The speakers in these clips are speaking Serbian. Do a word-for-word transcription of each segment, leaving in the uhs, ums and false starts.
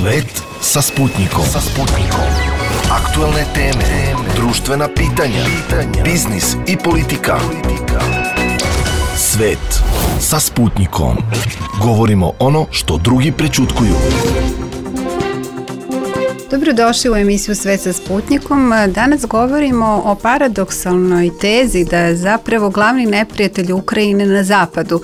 Svet sa Sputnikom. Sa Sputnikom. Aktuelne teme, društvena pitanja, biznis i politika. Svet sa Sputnikom. Govorimo ono što drugi prećutkuju. Dobrodošli u emisiju Svet sa Sputnikom. Danas govorimo o paradoksalnoj tezi da je zapravo glavni neprijatelj Ukrajine na zapadu,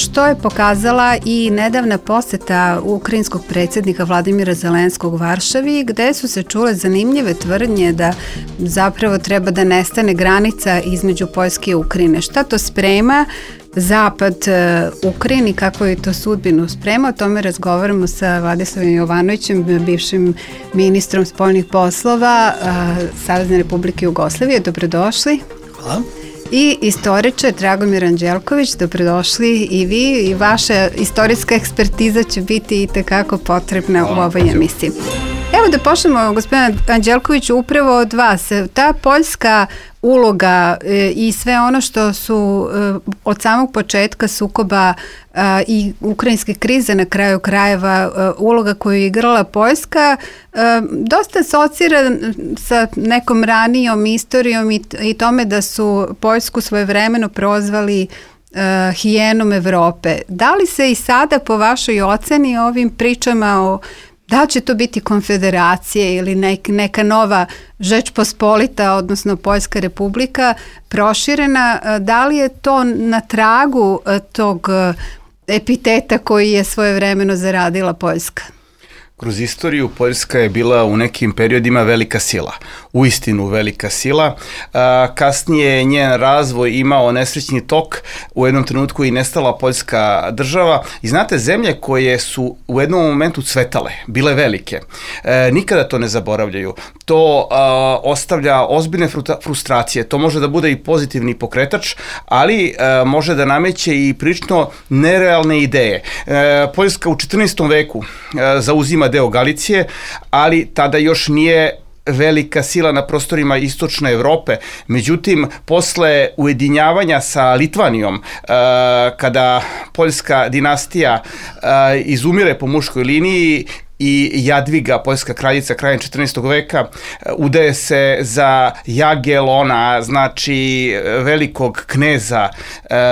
što je pokazala i nedavna poseta ukrajinskog predsjednika Vladimira Zelenskog Varšavi, gde su se čule zanimljive tvrdnje da zapravo treba da nestane granica između Poljske i Ukrajine. Šta to sprema Zapad Ukrajini, kako je to sudbinu sprema? O tome razgovaramo sa Vladislavom Jovanovićem, bivšim ministrom spoljnih poslova Savezne Republike Jugoslavije. Dobrodošli. Hvala. I istoričar Dragomir Anđelković, dobrodošli i vi, i vaša istorijska ekspertiza će biti i tekako potrebna u ovoj emisiji. Evo da počnemo, gospodin Anđelković, upravo od vas. Ta poljska uloga e, i sve ono što su e, od samog početka sukoba e, i ukrajinske krize na kraju krajeva e, uloga koju je igrala Poljska e, dosta asocira sa nekom ranijom istorijom i, i tome da su Poljsku svojevremeno prozvali Uh, hijenom Evrope. Da li se i sada po vašoj oceni ovim pričama o da će to biti konfederacije ili nek, neka nova Žeč Pospolita, odnosno Poljska republika proširena, da li je to na tragu tog epiteta koji je svojevremeno zaradila Poljska? Kroz istoriju Poljska je bila u nekim periodima velika sila, uistinu velika sila. Kasnije je njen razvoj imao nesrećni tok, u jednom trenutku i nestala Poljska država. I znate, zemlje koje su u jednom momentu cvetale, bile velike, nikada to ne zaboravljaju. To ostavlja ozbiljne frustracije, to može da bude i pozitivni pokretač, ali može da nameće i prilično nerealne ideje. Poljska u četrnaestom veku zauzima deo Galicije, ali tada još nije velika sila na prostorima istočne Evrope. Međutim, posle ujedinjavanja sa Litvanijom, kada poljska dinastija izumire po muškoj liniji i Jadviga, poljska kraljica krajem četrnaestog veka, udaje se za Jagelona, znači velikog kneza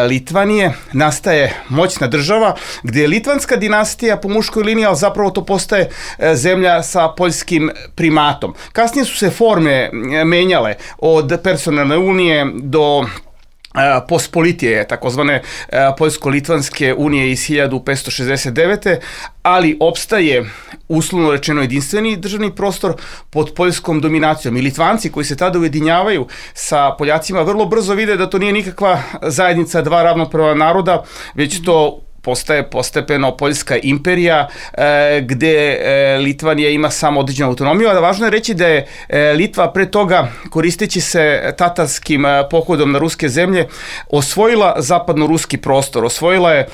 Litvanije, nastaje moćna država gdje je litvanska dinastija po muškoj liniji, ali zapravo to postaje zemlja sa poljskim primatom. Kasnije su se forme menjale od personalne unije do Pospolitije, takozvane Poljsko-Litvanske unije iz hiljadu petsto šezdeset devete. ali opstaje uslovno rečeno jedinstveni državni prostor pod poljskom dominacijom. I Litvanci koji se tada ujedinjavaju sa Poljacima vrlo brzo vide da to nije nikakva zajednica dva ravnopravna naroda, već to postaje postepeno Poljska imperija e, gde e, Litvanija ima samo određenu autonomiju, a važno je reći da je e, Litva pre toga, koristeći se tatarskim e, pohodom na ruske zemlje, osvojila zapadno-ruski prostor, osvojila je e,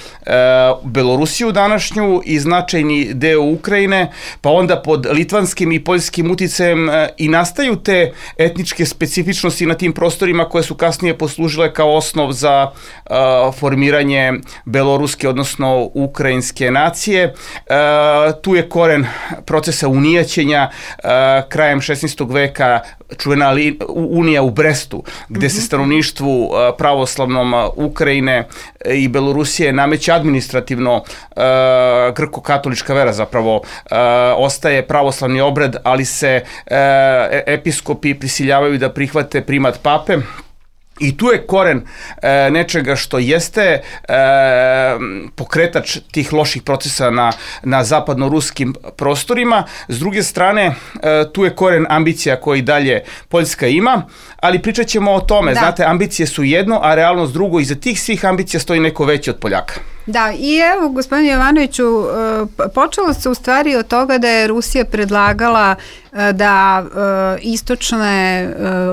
Belorusiju današnju i značajni deo Ukrajine, pa onda pod litvanskim i poljskim uticajem e, i nastaju te etničke specifičnosti na tim prostorima koje su kasnije poslužile kao osnov za e, formiranje beloruske, odnosno ukrajinske nacije. E, tu je koren procesa unijaćenja e, krajem šesnaestog veka, čuvena li, unija u Brestu, gde mm-hmm. se stanovništvu e, pravoslavnom Ukrajine i Belorusije nameće administrativno e, grko-katolička vera, zapravo e, ostaje pravoslavni obred, ali se e, episkopi prisiljavaju da prihvate primat pape. I tu je koren e, nečega što jeste e, pokretač tih loših procesa na, na zapadno-ruskim prostorima. S druge strane, e, tu je koren ambicija koji dalje Poljska ima, ali pričat ćemo o tome. Da. Znate, ambicije su jedno, a realnost drugo. Iza tih svih ambicija stoji neko veći od Poljaka. Da, i evo, gospodine Jovanoviću, počelo se u stvari od toga da je Rusija predlagala da istočne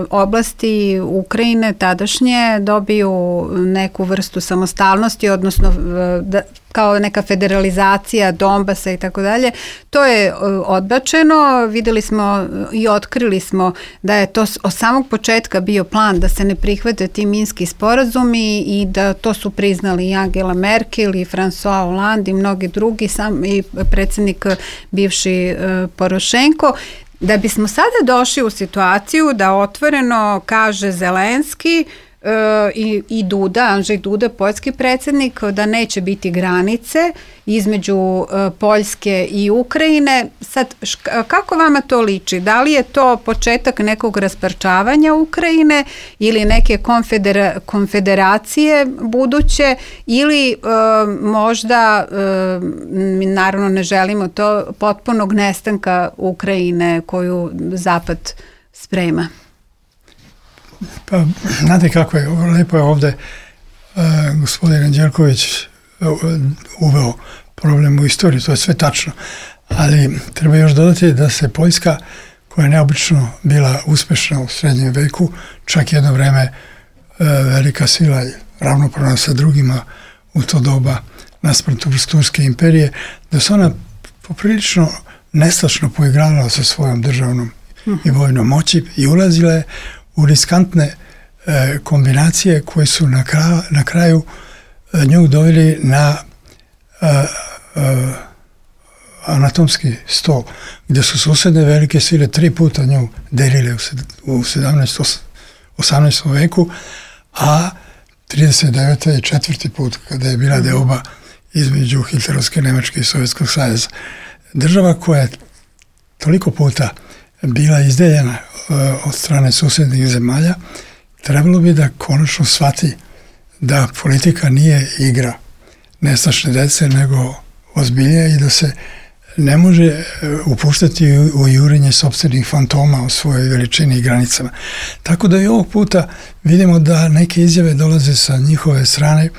oblasti Ukrajine tadašnje dobiju neku vrstu samostalnosti, odnosno da kao neka federalizacija Donbasa i tako dalje. To je odbačeno. Videli smo i otkrili smo da je to od samog početka bio plan da se ne prihvate ti minski sporazumi i da to su priznali i Angela Merkel i François Hollande i mnogi drugi, sam i predsjednik bivši Porošenko. Da bismo sada došli u situaciju da otvoreno kaže Zelenski I, i Duda, Andrzej Duda, poljski predsjednik, da neće biti granice između uh, Poljske i Ukrajine. Sad, šk, kako vama to liči? Da li je to početak nekog rasparčavanja Ukrajine ili neke konfedera, konfederacije buduće ili uh, možda, uh, mi naravno ne želimo to, potpunog nestanka Ukrajine koju Zapad sprema? Pa, znate kako je, lepo je ovde uh, gospodin Anđelković uh, uveo problem u istoriju, to je sve tačno, ali treba još dodati da se Poljska, koja je neobično bila uspešna u srednjem veku, čak jedno vreme uh, velika sila i ravnopravna sa drugima u to doba naspram Turske imperije, da se ona poprilično nestašno poigrala sa svojom državnom i vojnom moći i ulazila je u riskantne e, kombinacije koje su na, kra, na kraju e, nju doveli na e, e, anatomski stol, gdje su susedne velike sile tri puta nju delile u, u sedamnaestom osamnaestom veku, a trideset devete i četvrti put kada je bila deoba između Hitlerovske Nemačke i Sovjetskog saveza. Država koja je toliko puta bila izdeljena od strane susjednih zemalja, trebalo bi da konačno shvati da politika nije igra nestašne dece, nego ozbiljnije i da se ne može upuštati u jurenje sopstvenih fantoma o svojoj veličini i granicama. Tako da i ovog puta vidimo da neke izjave dolaze sa njihove strane,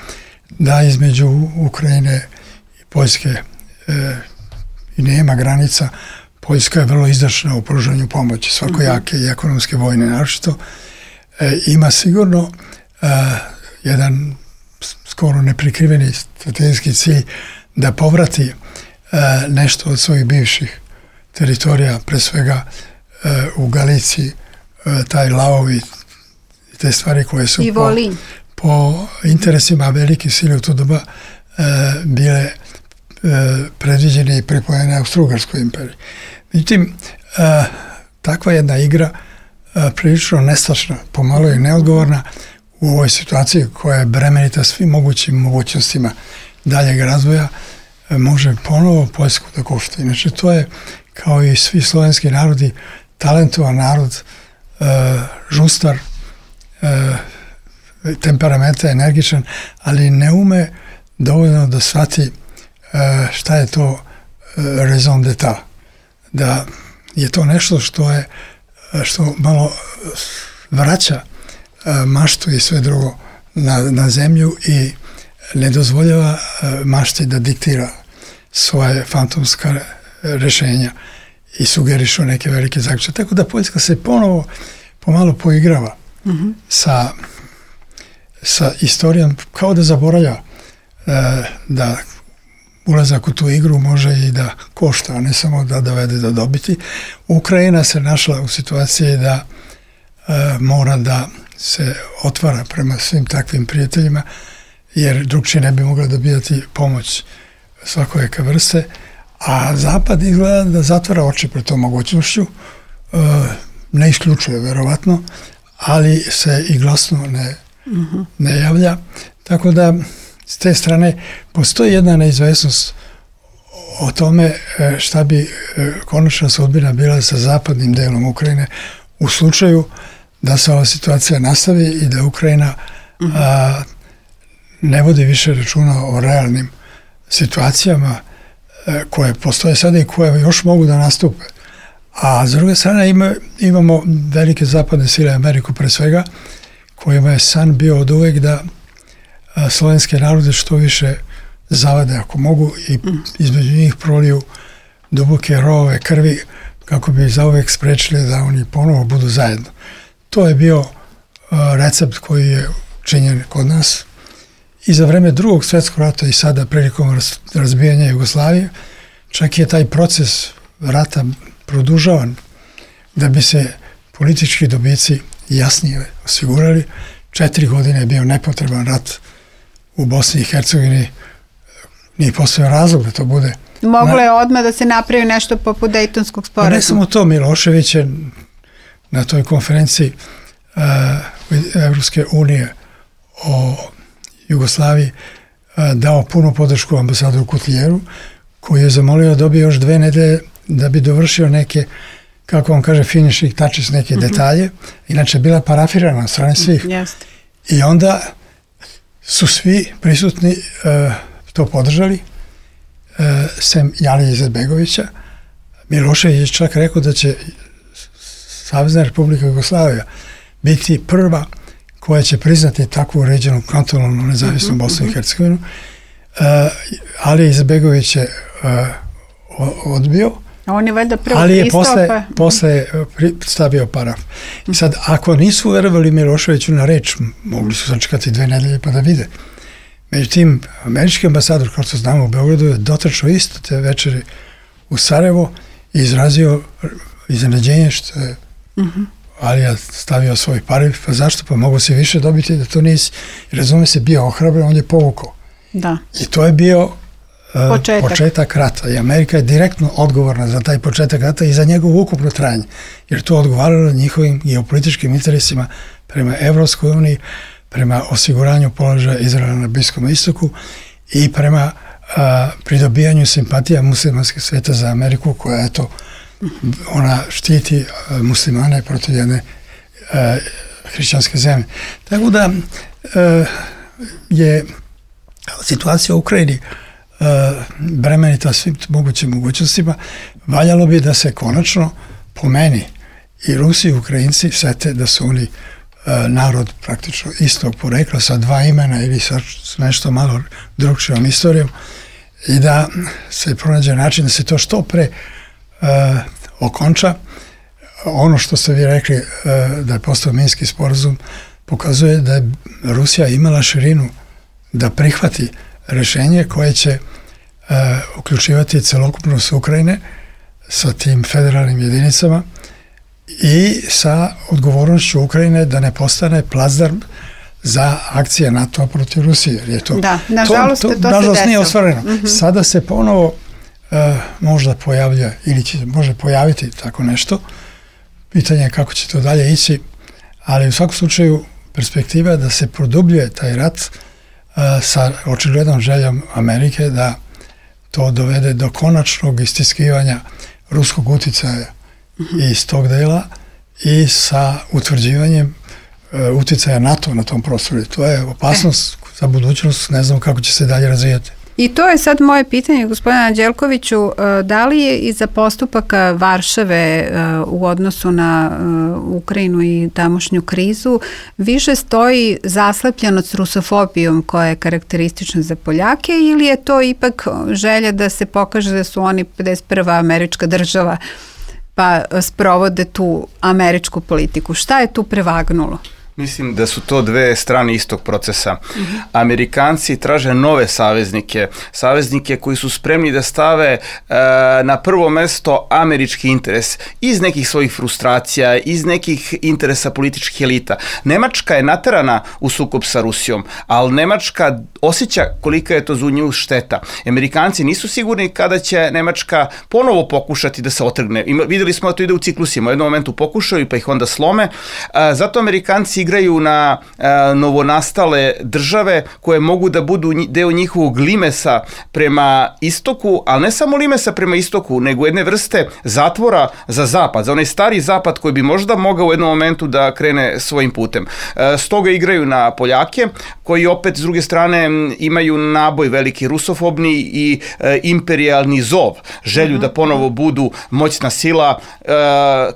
da između Ukrajine i Poljske e, i nema granica. Poljska je vrlo izdašna u pružanju pomoći, svakojake i ekonomske vojne naročito. E, ima sigurno e, jedan skoro neprikriveni strategijski cilj da povrati e, nešto od svojih bivših teritorija, pre svega e, u Galiciji, e, taj Laovi i te stvari koje su po, po interesima velike sile u to doba e, bile e, predviđene i pripojene Austro-Ugarskoj imperiji. Međutim, e, takva jedna igra e, prilično nestašna, pomalo je neodgovorna u ovoj situaciji koja je bremenita svim mogućim mogućnostima daljeg razvoja, e, može ponovo Poljsku da košta. Inače, to je, kao i svi slovenski narodi, talentovan narod, e, žustar, e, temperamenta, energičan, ali ne ume dovoljno da shvati e, šta je to e, raison d'etat. Da je to nešto što je što malo vraća maštu i sve drugo na, na zemlju i ne dozvoljava mašti da diktira svoje fantomska rešenja i sugerišu neke velike zaključke. Tako da Poljska se ponovo pomalo poigrava mm-hmm. sa, sa istorijom, kao da zaboravlja da ulazak u tu igru može i da košta, a ne samo da dovede do dobiti. Ukrajina se našla u situaciji da e, mora da se otvara prema svim takvim prijateljima, jer drugčije ne bi mogla dobijati pomoć svakojeka vrste, a Zapad izgleda da zatvara oči pred tom mogućnošću, e, ne isključuje verovatno, ali se i glasno ne, mm-hmm. ne javlja. Tako da s te strane postoji jedna neizvesnost o tome šta bi konačna sudbina bila sa zapadnim delom Ukrajine u slučaju da se ova situacija nastavi i da Ukrajina mm-hmm. a, ne vodi više računa o realnim situacijama a, koje postoje sada i koje još mogu da nastupe. A s druge strane ima, imamo velike zapadne sile, Ameriku pre svega, kojima je san bio od uvek da slovenske narode što više zavade ako mogu i između njih proliju duboke rovove krvi kako bi zauvek sprečili da oni ponovo budu zajedno. To je bio uh, recept koji je činjen kod nas i za vreme drugog svjetskog rata i sada prilikom razbijanja Jugoslavije, čak je taj proces rata produžavan da bi se politički dobici jasnije osigurali. Četiri godine je bio nepotreban rat u Bosni i Hercegovini, nije postojao razlog da to bude. Moglo je odmah da se napravi nešto poput Dejtonskog sporazuma. Ne samo to, Milošević je na toj konferenciji uh, Evropske unije o Jugoslaviji uh, dao punu podršku ambasadoru Kutlijeru, koji je zamolio da dobije još dve nedelje da bi dovršio neke, kako on kaže, finishing touches, neke mm-hmm. detalje. Inače, bila parafirana od strane svih. Yes. I onda su svi prisutni uh, to podržali, uh, sem Alije Izetbegovića. Milošević je čak rekao da će Savezna Republika Jugoslavija biti prva koja će priznati takvu uređenu kantonalnu nezavisnu mm-hmm. Bosnu i Hercegovinu. Uh, Alija Izetbegović je uh, odbio, a on je valjda prvo ali je pristao, posle, pa... posle stavio paraf. I sad, ako nisu verovali Miloševiću na reč, mogli su sačekati dve nedelje pa da vide. Međutim, američki ambasador, kao što znamo u Beogradu, je dotrčao isto te večeri u Sarajevo i izrazio iznenađenje što je uh-huh. Alija stavio svoj paraf. Pa zašto? Pa mogu se više dobiti da to nisi. I razume se, bio ohrabren, on je povukao. Da. I to je bio Uh, početak. početak rata. I Amerika je direktno odgovorna za taj početak rata i za njegovo ukupno trajanje. Jer to odgovaralo njihovim geopolitičkim interesima prema Evropskoj uniji, prema osiguranju položaja Izraela na Bliskom istoku i prema uh, pridobijanju simpatija muslimanskih sveta za Ameriku, koja eto, ona štiti uh, muslimane protiv jedne uh, hrišćanske zemlje. Tako da uh, je situacija u Ukrajini Uh, bremenita svim mogućim mogućnostima. Valjalo bi da se konačno po meni i Rusi i Ukrajinci sete da su oni uh, narod praktično istog porekla sa dva imena ili sa nešto malo drugčijom istorijom i da se pronađe način da se to što pre uh, okonča. Ono što ste vi rekli uh, da je postao Minski sporazum pokazuje da je Rusija imala širinu da prihvati rešenje koje će uh, uključivati celokupnost Ukrajine sa tim federalnim jedinicama i sa odgovornošću Ukrajine da ne postane plazdarm za akcije NATO protiv Rusije. Jer je to, da, nažalost to, to, to nažalost se nije ostvareno. Mm-hmm. Sada se ponovo uh, možda pojavlja ili će može pojaviti tako nešto. Pitanje je kako će to dalje ići, ali u svakom slučaju perspektiva da se produbljuje taj rat uh, sa očiglednom željom Amerike da to dovede do konačnog istiskivanja ruskog uticaja mm-hmm. iz tog dela i sa utvrđivanjem uh, uticaja NATO na tom prostoru. To je opasnost e. za budućnost, ne znam kako će se dalje razvijati. I to je sad moje pitanje, gospodine Anđelkoviću, da li je iza postupaka Varšave u odnosu na Ukrajinu i tamošnju krizu više stoji zaslepljenost rusofobijom koja je karakteristična za Poljake ili je to ipak želja da se pokaže da su oni pedeset prva američka država pa sprovode tu američku politiku? Šta je tu prevagnulo? Mislim da su to dve strane istog procesa. Mm-hmm. Amerikanci traže nove saveznike, saveznike koji su spremni da stave e, na prvo mesto američki interes iz nekih svojih frustracija, iz nekih interesa političkih elita. Nemačka je naterana u sukob sa Rusijom, ali Nemačka osjeća kolika je to za nju šteta. Amerikanci nisu sigurni kada će Nemačka ponovo pokušati da se otrgne. Ima, videli smo da to ide u ciklusima. U jednom momentu pokušaju pa ih onda slome. E, zato Amerikanci igraju na a, novonastale države koje mogu da budu deo njihovog limesa prema istoku, ali ne samo limesa prema istoku, nego jedne vrste zatvora za zapad, za onaj stari zapad koji bi možda mogao u jednom momentu da krene svojim putem. E, stoga igraju na Poljake, koji opet s druge strane imaju naboj veliki rusofobni i e, imperijalni zov, želju mm-hmm. da ponovo budu moćna sila, e,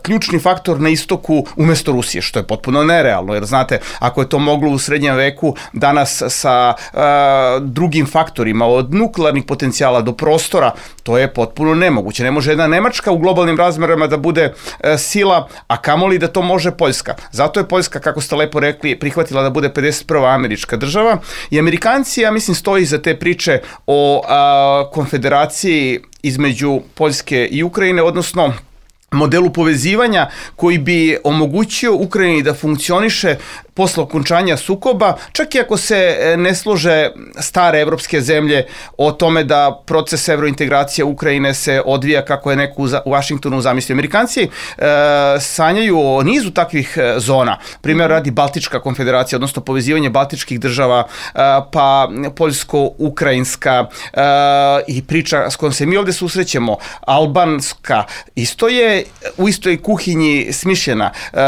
ključni faktor na istoku umesto Rusije, što je potpuno nerealno. pogled. Znate, ako je to moglo u srednjem veku, danas sa uh, drugim faktorima, od nuklearnih potencijala do prostora, to je potpuno nemoguće. Ne može jedna Nemačka u globalnim razmerama da bude uh, sila, a kamoli da to može Poljska. Zato je Poljska, kako ste lepo rekli, prihvatila da bude pedeset prva američka država i Amerikanci, ja mislim, stoji za te priče o uh, konfederaciji između Poljske i Ukrajine, odnosno modelu povezivanja koji bi omogućio Ukrajini da funkcioniše posle okončanja sukoba, čak i ako se ne slože stare evropske zemlje o tome da proces evrointegracije Ukrajine se odvija kako je neko u Vašingtonu zamislio. Amerikanci e, sanjaju o nizu takvih zona. Primjer radi Baltička konfederacija, odnosno povezivanje baltičkih država, e, pa poljsko-ukrajinska e, i priča s kojom se mi ovde susrećemo, albanska, isto je u istoj kuhinji smišljena. E,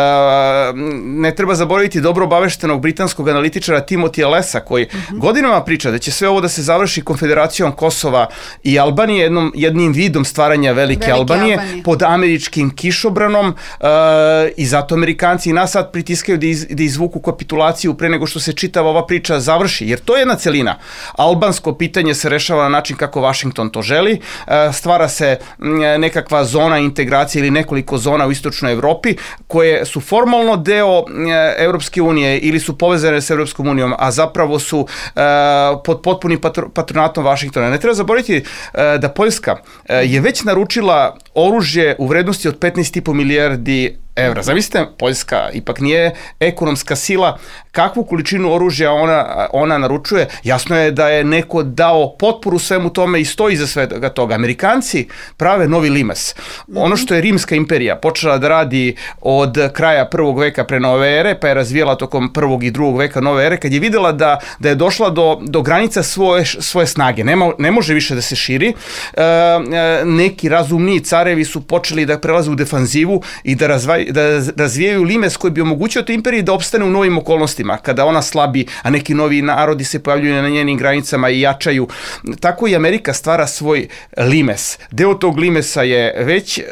ne treba zaboraviti dobro obaveštenog britanskog analitičara Timotija Lesa, koji uh-huh. godinama priča da će sve ovo da se završi konfederacijom Kosova i Albanije, jednom, jednim vidom stvaranja Velike, Velike Albanije, Albanije pod američkim kišobranom uh, i zato Amerikanci i nas sad pritiskaju da, iz, da izvuku kapitulaciju pre nego što se čitava ova priča završi, jer to je jedna celina. Albansko pitanje se rešava na način kako Vašington to želi, uh, stvara se nekakva zona integracije ili nekoliko zona u istočnoj Evropi koje su formalno deo uh, Evropske unije ili su povezane s Evropskom unijom, a zapravo su uh, pod potpunim patr- patronatom Vašingtona. Ne treba zaboraviti uh, da Poljska uh, je već naručila oružje u vrednosti od petnaest i po milijardi evra. Zamislite, Poljska ipak nije ekonomska sila, kakvu količinu oružja ona, ona naručuje, jasno je da je neko dao potporu svemu tome i stoji za svega toga. Amerikanci prave novi limes. Ono što je Rimska imperija počela da radi od kraja prvog veka pre nove ere, pa je razvijela tokom prvog i drugog veka nove ere, kad je videla da, da je došla do, do granica svoje, svoje snage. Nema, ne može više da se širi. E, neki razumniji carevi su počeli da prelaze u defanzivu i da razvaju da razvijaju limes koji bi omogućio toj imperiji da opstane u novim okolnostima, kada ona slabi, a neki novi narodi se pojavljuju na njenim granicama i jačaju. Tako i Amerika stvara svoj limes. Deo tog limesa je već e,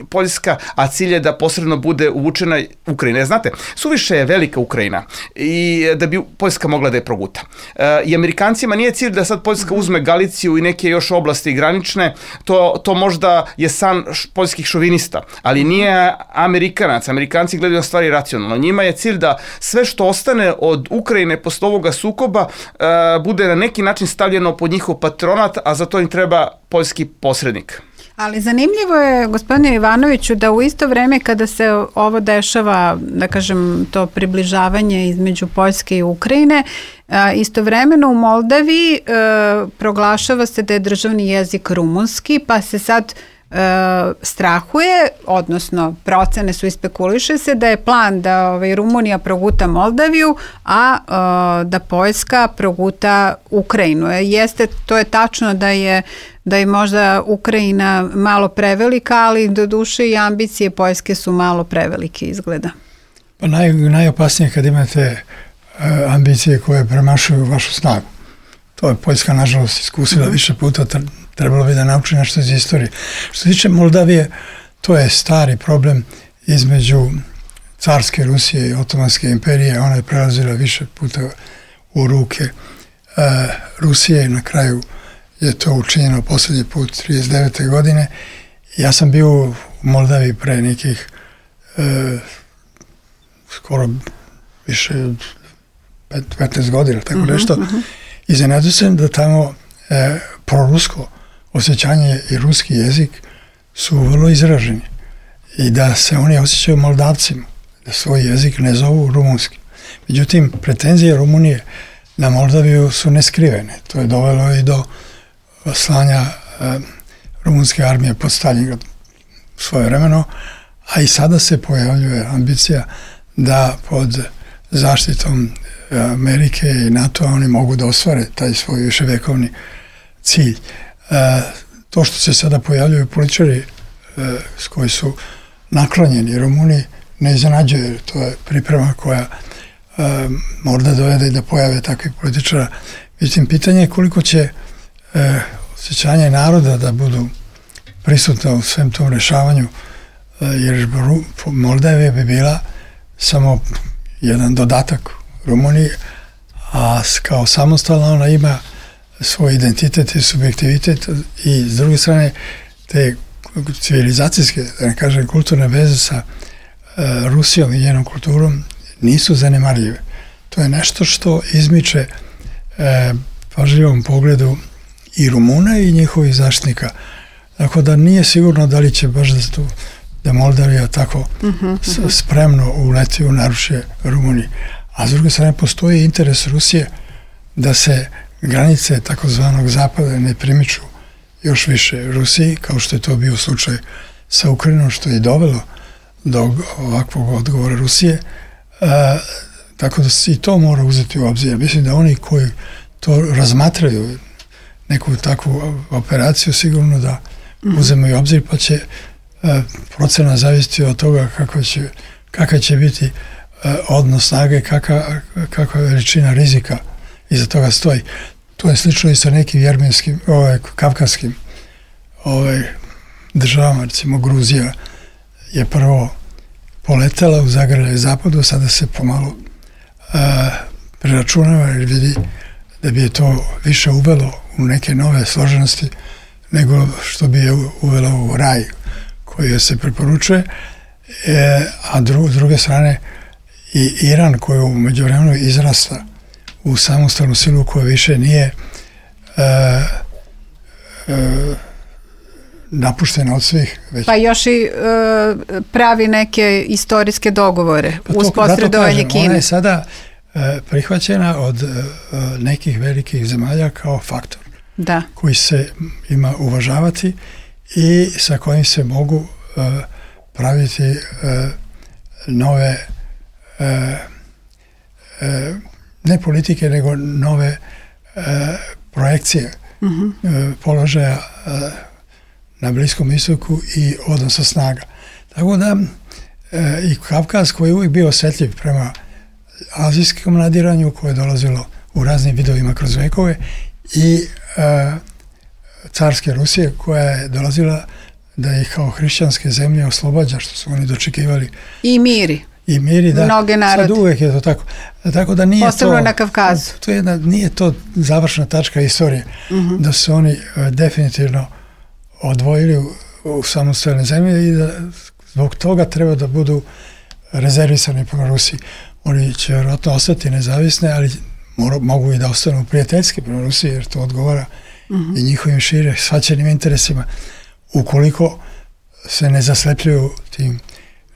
Poljska, a cilj je da posredno bude uvučena Ukrajina. Znate, suviše je velika Ukrajina i da bi Poljska mogla da je proguta. E, I Amerikancima nije cilj da sad Poljska uzme Galiciju i neke još oblasti granične, to, to možda je san poljskih šovinista, ali nije Amerikanac. Amerikanci gledaju na stvari racionalno. Njima je cilj da sve što ostane od Ukrajine posle ovoga sukoba uh, bude na neki način stavljeno pod njihov patronat, a za to im treba poljski posrednik. Ali zanimljivo je, gospodine Ivanoviću, da u isto vreme kada se ovo dešava, da kažem, to približavanje između Poljske i Ukrajine, istovremeno u Moldaviji proglašava se da je državni jezik rumunski, pa se sad E, strahuje, odnosno procene su ispekuliše se da je plan da ovaj, Rumunija proguta Moldaviju, a e, da Poljska proguta Ukrajinu. E, jeste, to je tačno da je da je možda Ukrajina malo prevelika, ali do duše i ambicije Poljske su malo prevelike izgleda. Pa naj, najopasnije kad imate e, ambicije koje premašuju vašu snagu. To je Poljska nažalost iskusila mm-hmm. više puta, trebalo bi da nauči nešto iz istorije. Što se tiče Moldavije, to je stari problem između carske Rusije i Otomanske imperije. Ona je prelazila više puta u ruke e, Rusije. Na kraju je to učinjeno posljednji put trideset devete godine. Ja sam bio u Moldaviji pre nekih e, skoro više petnaest godina, tako mm-hmm, nešto. Mm-hmm. Iznenadio sam da tamo e, prorusko osjećanje i ruski jezik su vrlo izraženi i da se oni osjećaju Moldavcima, da svoj jezik ne zovu rumunski. Međutim, pretenzije Rumunije na Moldaviju su neskrivene. To je dovelo i do slanja e, rumunske armije pod Stalingrad svojevremeno, a i sada se pojavljuje ambicija da pod zaštitom Amerike i NATO oni mogu da ostvare taj svoj viševekovni cilj. E, to što se sada pojavljuju političari e, s koji su naklonjeni Rumuniji ne iznenađuje, to je priprema koja e, možda dovede da pojave takvih političara. Međutim, pitanje je koliko će e, osjećanje naroda da budu prisutna u svem tom rešavanju, e, jer Moldavija bi bila samo jedan dodatak Rumuniji, a kao samostalna ona ima svoj identitet i subjektivitet i s druge strane te civilizacijske, da ne kažem kulturne veze sa uh, Rusijom i njenom kulturom nisu zanemarljive. To je nešto što izmiče uh, pažljivom pogledu i Rumuna i njihovih zaštitnika. Tako da nije sigurno da li će baš da, tu, da Moldavija tako uh-huh, uh-huh. spremno uleti u naručje Rumuniji. A s druge strane postoji interes Rusije da se granice takozvanog zapada ne primiču još više Rusiji, kao što je to bio slučaj sa Ukrajinom, što je dovelo do ovakvog odgovora Rusije. A, tako da se i to mora uzeti u obzir. Mislim da oni koji to razmatraju neku takvu operaciju sigurno da uzemaju u obzir, pa će a, procena zavisiti od toga kako će, kakav će biti a, odnos snage, kakva, kakva veličina rizika iza toga stoji. To je slično i sa nekim jermenskim, ovaj, kavkazskim ovaj, državama, recimo Gruzija je prvo poletela u zagrljaj zapadu, sada se pomalo a, preračunava jer vidi da bi je to više uvelo u neke nove složenosti nego što bi je uvelo u raj koji je se preporučuje, e, a dru, s druge strane i Iran koji u međuvremenu izrasta u samostalnu silu koja više nije e, e, napuštena od svih. Već. Pa još i e, pravi neke istorijske dogovore pa uz posredovanje Kine. Ona je sada e, prihvaćena od e, nekih velikih zemalja kao faktor da. Koji se ima uvažavati i sa kojim se mogu e, praviti e, nove e, e, ne politike, nego nove e, projekcije uh-huh. e, položaja e, na Bliskom istoku i odnosa snaga. Tako da e, i Kavkaz koji je uvijek bio osjetljiv prema azijskom nadiranju koje je dolazilo u raznim vidovima kroz vekove i e, carske Rusije koja je dolazila da ih kao hrišćanske zemlje oslobađa, što su oni dočekivali. I miri. I miri, da. Mnoge narode. Sad uvijek je to tako. Tako da nije posebno to, na Kavkazu. To je jedna, nije to završna tačka istorije. Uh-huh. Da su oni uh, definitivno odvojili u, u samostalne zemlje i da zbog toga treba da budu rezervisani prema Rusiji. Oni će vjerojatno ostati nezavisne, ali mora, mogu i da ostanu prijateljski prema Rusiji, jer to odgovara uh-huh. i njihovim šire shvaćenim interesima. Ukoliko se ne zaslepljuju tim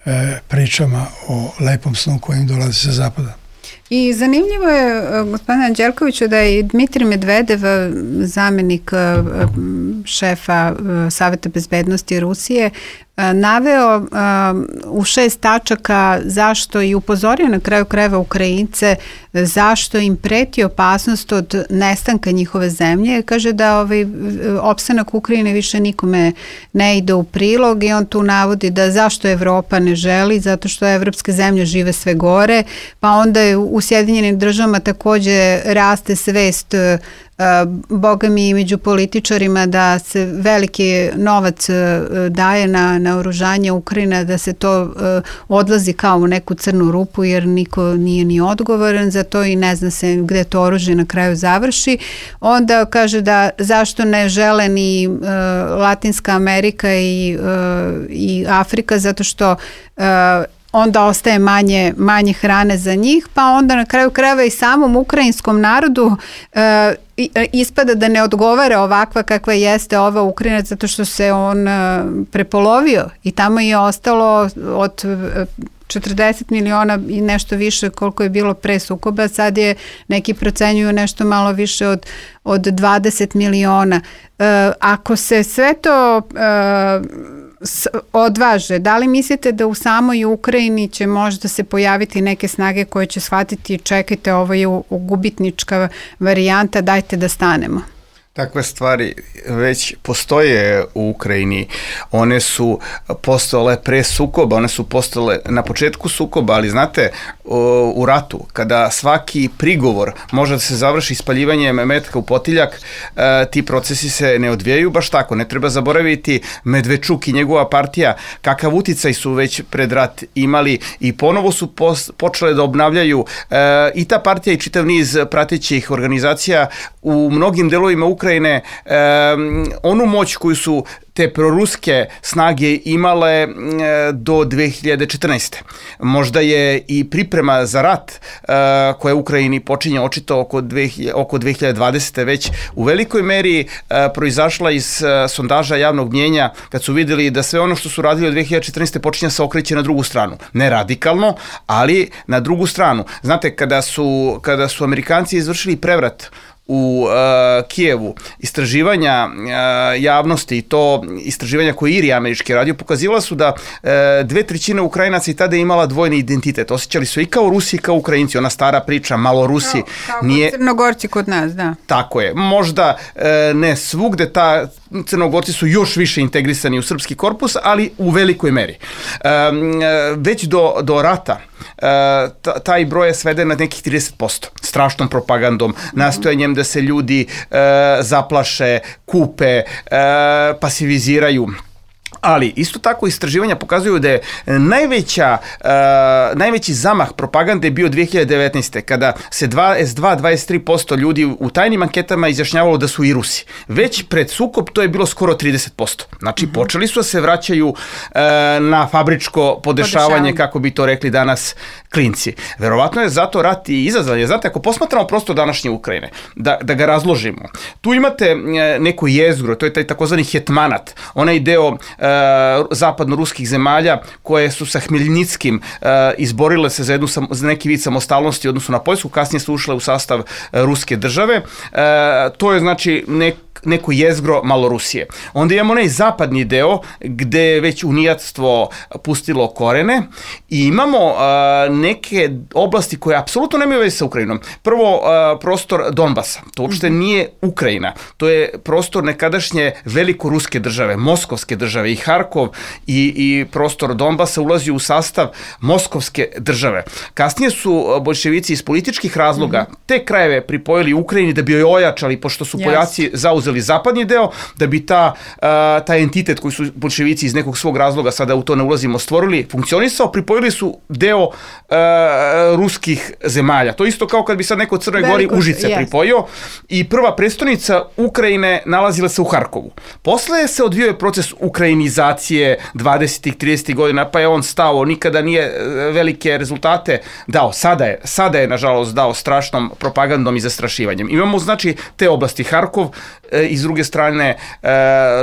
e, pričama o lepom snu kojim dolazi sa zapada. I zanimljivo je, gospodine Anđelkoviću, da je Dmitrij Medvedev, zamjenik šefa Saveta bezbednosti Rusije, naveo u šest tačaka zašto i upozorio na kraju krajeva Ukrajince zašto im preti opasnost od nestanka njihove zemlje. Kaže da ovaj opstanak Ukrajine više nikome ne ide u prilog i on tu navodi da zašto Evropa ne želi, zato što evropske zemlje žive sve gore, pa onda je u Sjedinjenim državama takođe raste svest Boga mi i među političarima da se veliki novac daje na, na oružanje Ukrajina, da se to uh, odlazi kao u neku crnu rupu jer niko nije ni odgovoran za to i ne zna se gde to oružje na kraju završi. Onda kaže da zašto ne žele ni uh, Latinska Amerika i, uh, i Afrika, zato što uh, onda ostaje manje, manje hrane za njih, pa onda na kraju krajeva i samom ukrajinskom narodu e, ispada da ne odgovara ovakva kakva jeste ova Ukrajina, zato što se on e, prepolovio i tamo je ostalo od četrdeset miliona i nešto više koliko je bilo pre sukoba, sad je neki procenjuju nešto malo više od, od dvadeset miliona. E, ako se sve to e, odvaže, da li mislite da u samoj Ukrajini će možda se pojaviti neke snage koje će shvatiti čekajte, ovo je gubitnička varijanta, dajte da stanemo? Takve stvari već postoje u Ukrajini. One su postojale pre sukoba, one su postojale na početku sukoba, ali znate, u ratu, kada svaki prigovor može da se završi ispaljivanjem metka u potiljak, ti procesi se ne odvijaju baš tako. Ne treba zaboraviti Medvečuk i njegova partija, kakav uticaj su već pred rat imali i ponovo su počele da obnavljaju i ta partija i čitav niz pratećih organizacija u mnogim delovima Ukrajine onu moć koju su te proruske snage imale do dve hiljade četrnaeste. Možda je i priprema za rat koja u Ukrajini počinje očito oko, oko dve hiljade dvadesete već u velikoj meri proizašla iz sondaža javnog mnjenja kad su videli da sve ono što su radili od dve hiljade četrnaeste počinje se okreće na drugu stranu. Ne radikalno, ali na drugu stranu. Znate, kada su, kada su Amerikanci izvršili prevrat u uh, Kijevu, istraživanja uh, javnosti i to istraživanja koje Iri američki radio pokazivala su da uh, dve trećine Ukrajinaca i tada je imala dvojni identitet. Osjećali su i kao Rusi i kao Ukrajinci. Ona stara priča, malo Rusi. Kao, kao nije... Crnogorci kod nas, da. Tako je. Možda uh, ne svugde, ta Crnogorci su još više integrisani u srpski korpus, ali u velikoj meri. Um, već do, do rata uh, taj broj je sveden na nekih trideset posto. Strašnom propagandom, nastojanjem da se ljudi uh, zaplaše, kupe, uh, pasiviziraju. Ali isto tako istraživanja pokazuju da je najveća, uh, najveći zamah propagande bio dve hiljade devetnaeste. kada se S dva dvadeset tri posto ljudi u tajnim anketama izjašnjavalo da su i Rusi. Već pred sukob to je bilo skoro trideset posto. Znači mm-hmm. počeli su da se vraćaju uh, na fabričko podešavanje, Podešavanje. kako bi to rekli danas klinci. Verovatno je zato rat i izazvan. Znate, ako posmatramo prosto današnje Ukrajine, da, da ga razložimo, tu imate neko jezgro, to je taj takozvani hetmanat, onaj deo uh, zapadno-ruskih zemalja koje su sa Hmelnickim uh, izborile se za, jednu, za neki vid samostalnosti odnosno na Poljsku, kasnije su ušle u sastav uh, ruske države. Uh, to je znači nek, neko jezgro Malorusije. Onda imamo onaj zapadni deo gde je već unijatstvo pustilo korene i imamo uh, neke oblasti koje apsolutno nemaju veze sa Ukrajinom. Prvo, uh, prostor Donbasa. To uopšte nije Ukrajina. To je prostor nekadašnje velikoruske države, moskovske države i Harkov i, i prostor Donbasa ulazi u sastav moskovske države. Kasnije su boljševici iz političkih razloga mm-hmm. te krajeve pripojili Ukrajini da bi joj ojačali, pošto su yes. Poljaci zauzeli zapadni deo, da bi ta, uh, taj entitet koji su boljševici iz nekog svog razloga, sada u to ne ulazimo, stvorili, funkcionisao, pripojili su deo uh, ruskih zemalja. To isto kao kad bi sad neko od Crnoj Gori Užice yes. pripojio i prva prestonica Ukrajine nalazila se u Harkovu. Posle se odvio proces ukrajinizacije dvadesetih tridesetih godina, pa je on stao, nikada nije velike rezultate dao. Sada je, sada je nažalost dao strašnom propagandom i zastrašivanjem. Imamo znači te oblasti Harkov e, i s druge strane e,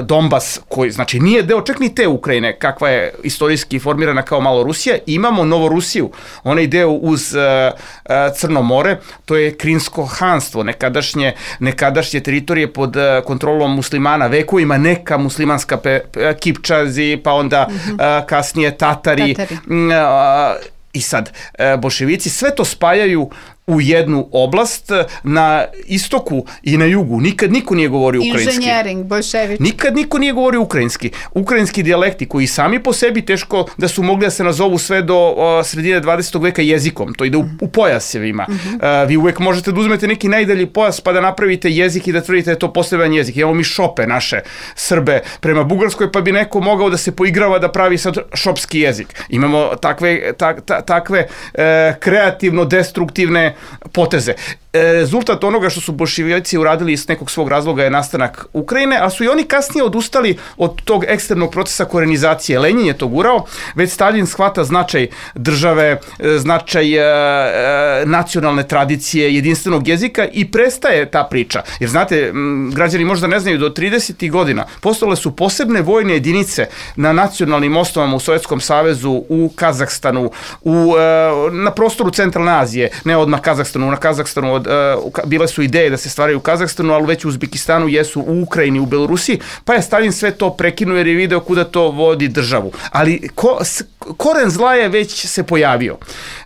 Donbas, koji znači nije deo čak ni te Ukrajine, kakva je istorijski formirana kao Malorusija. Imamo Novorusiju, onaj deo uz e, e, Crno more, to je Krimsko hanstvo, nekadašnje, nekadašnje teritorije pod e, kontrolom muslimana, vekovima neka muslimanska pe, pe, Kipčazi, pa onda mm-hmm. e, kasnije Tatari. Tatari. E, I sad, e, boljševici sve to spajaju u jednu oblast na istoku i na jugu. Nikad niko nije govorio ukrajinski. Inženjering, boljševič. Nikad niko nije govorio ukrajinski. Ukrajinski dijalekti koji sami po sebi teško da su mogli da se nazovu sve do o, sredine dvadesetog veka jezikom. To ide u, u pojasevima. Mm-hmm. A, vi uvek možete da uzmete neki najdalji pojas pa da napravite jezik i da tvrdite da je to poseban jezik. Imamo mi šope naše Srbe prema Bugarskoj, pa bi neko mogao da se poigrava da pravi sad šopski jezik. Imamo takve, tak, ta, takve e, kreativno destruktivne poteze. Rezultat onoga što su boljševici uradili iz nekog svog razloga je nastanak Ukrajine, a su i oni kasnije odustali od tog ekstremnog procesa korenizacije. Lenin je to gurao, već Stalin shvata značaj države, značaj e, e, nacionalne tradicije, jedinstvenog jezika i prestaje ta priča. Jer znate, m, građani možda ne znaju, do tridesetih godina postojale su posebne vojne jedinice na nacionalnim osnovama u Sovjetskom savezu, u Kazahstanu, u, e, na prostoru Centralne Azije, ne odmah Kazahstanu, na Kazahstanu od, uh, bile su ideje da se stvaraju u Kazahstanu, ali već u Uzbekistanu jesu, u Ukrajini, u Belorusiji, pa je Stalin sve to prekinuo jer je video kuda to vodi državu. Ali ko, s, koren zla je već se pojavio.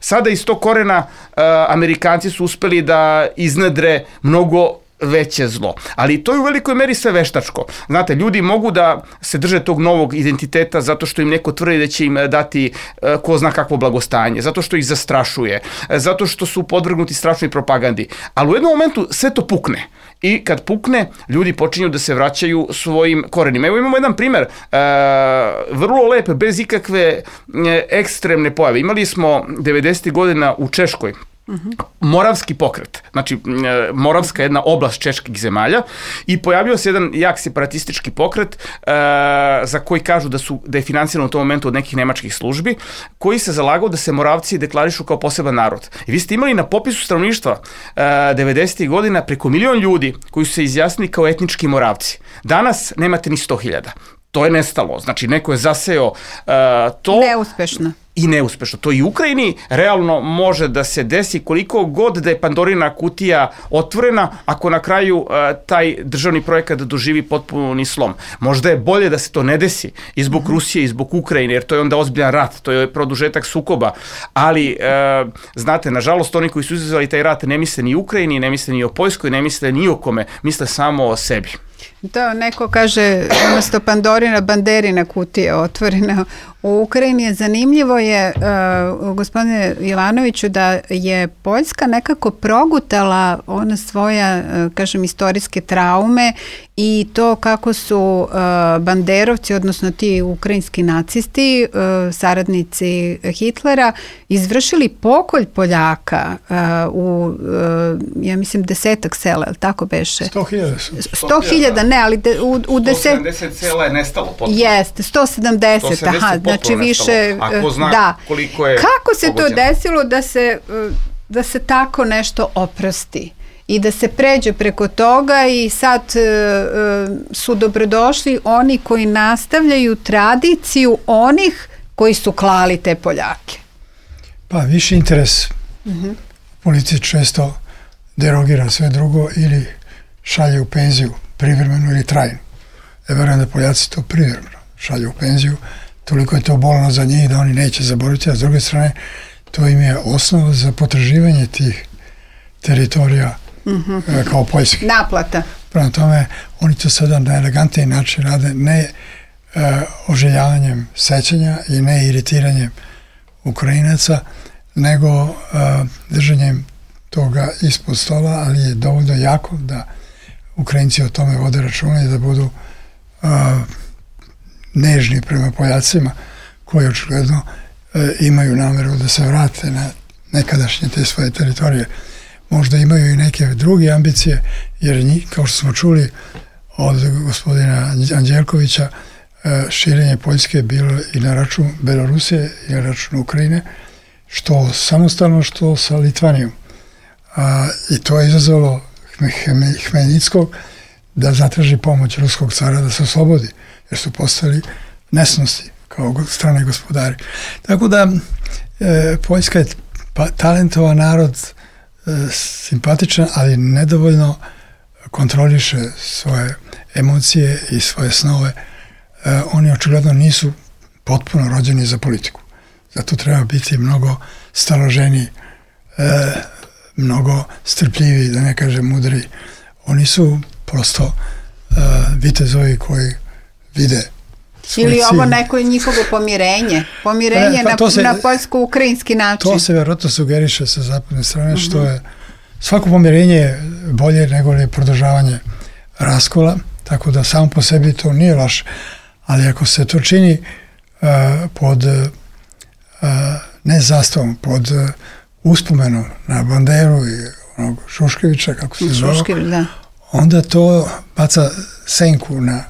Sada iz tog korena uh, Amerikanci su uspeli da iznedre mnogo veće zlo. Ali to je u velikoj meri sve veštačko. Znate, ljudi mogu da se drže tog novog identiteta zato što im neko tvrdi da će im dati ko zna kakvo blagostanje, zato što ih zastrašuje, zato što su podvrgnuti strašnoj propagandi. Ali u jednom momentu sve to pukne. I kad pukne, ljudi počinju da se vraćaju svojim korenima. Evo imamo jedan primer, e, vrlo lep, bez ikakve e, ekstremne pojave. Imali smo devedesetih godina u Češkoj Uh-huh. Moravski pokret, znači Moravska je jedna oblast čeških zemalja i pojavio se jedan jak separatistički pokret e, za koji kažu da, su, da je finansiran u tom momentu od nekih nemačkih službi, koji se zalagao da se Moravci deklarišu kao poseban narod. I vi ste imali na popisu stanovništva e, devedesetih godina preko milion ljudi koji su se izjasnili kao etnički Moravci. Danas nemate ni sto hiljada. To je nestalo, znači neko je zaseo uh, to... Neuspešno. I neuspešno. To i u Ukrajini realno može da se desi koliko god da je Pandorina kutija otvorena, ako na kraju uh, taj državni projekat doživi potpuni slom. Možda je bolje da se to ne desi i zbog mm-hmm. Rusije i zbog Ukrajine, jer to je onda ozbiljan rat, to je produžetak sukoba, ali uh, znate, nažalost oni koji su izazvali taj rat ne misle ni o Ukrajini, ne misle ni o Poljskoj, ne misle ni o kome, misle samo o sebi. To neko kaže, umjesto Pandorina, Banderina kutija otvorena. U Ukrajini je zanimljivo je, uh, gospodine Ivanoviću, da je Poljska nekako progutala ona svoja, uh, kažem, istorijske traume i to kako su uh, banderovci, odnosno ti ukrajinski nacisti, uh, saradnici Hitlera, izvršili pokolj Poljaka uh, u, uh, ja mislim, desetak sela, ali tako beše? Sto hiljada. Sto hiljada, ne, ali de, u, u deset... sto sedamdeset sela je nestalo potpuno. Jeste, sto sedamdeset, aha, znači više... Ako zna da. koliko je Kako se pogođeno? To desilo da se, da se tako nešto oprosti i da se pređe preko toga i sad uh, su dobrodošli oni koji nastavljaju tradiciju onih koji su klali te Poljake? Pa viši interes uh-huh. politici često derogira sve drugo ili šalje u penziju privremenu ili trajnu. Ja verujem da Poljaci to privremeno šalje u penziju, toliko je to bolno za njih da oni neće zaboraviti, a s druge strane to im je osnova za potraživanje tih teritorija mm-hmm. kao Poljske. Naplata. Prema tome, oni to sada na elegantniji način rade, ne uh, oželjavanjem sećanja i ne iritiranjem Ukrajinaca, nego uh, držanjem toga ispod stola, ali je dovoljno jako da Ukrajinci o tome vode računa i da budu uh, nežni prema Poljacima koji očigledno e, imaju nameru da se vrate na nekadašnje te svoje teritorije. Možda imaju i neke druge ambicije, jer njih, kao što smo čuli od gospodina Anđelkovića, e, širenje Poljske je bilo i na račun Belorusije i na račun Ukrajine, što samostalno, što sa Litvanijom. A, I to je izazvalo Hmeljickog da zatraži pomoć ruskog cara da se oslobodi, jer su postali nesnosti kao strane gospodari. Tako da e, Poljska je pa, talentovan narod, e, simpatičan, ali nedovoljno kontroliše svoje emocije i svoje snove. E, oni očigledno nisu potpuno rođeni za politiku. Zato treba biti mnogo staloženiji, e, mnogo strpljiviji, da ne kažem mudri. Oni su prosto e, vitezovi koji vide ili cilj. Ovo neko je njihovo pomirenje. Pomirenje e, pa na, se, na poljsko-ukrajinski način. To se vjerojatno sugeriše sa zapadne strane, uh-huh. što je svako pomirenje je bolje nego li produžavanje raskola, tako da samo po sebi to nije loše. Ali ako se to čini uh, pod uh, ne zastavom, pod uh, uspomenom na Banderu i onog Šuškevića, kako se zove, da. Onda to baca senku na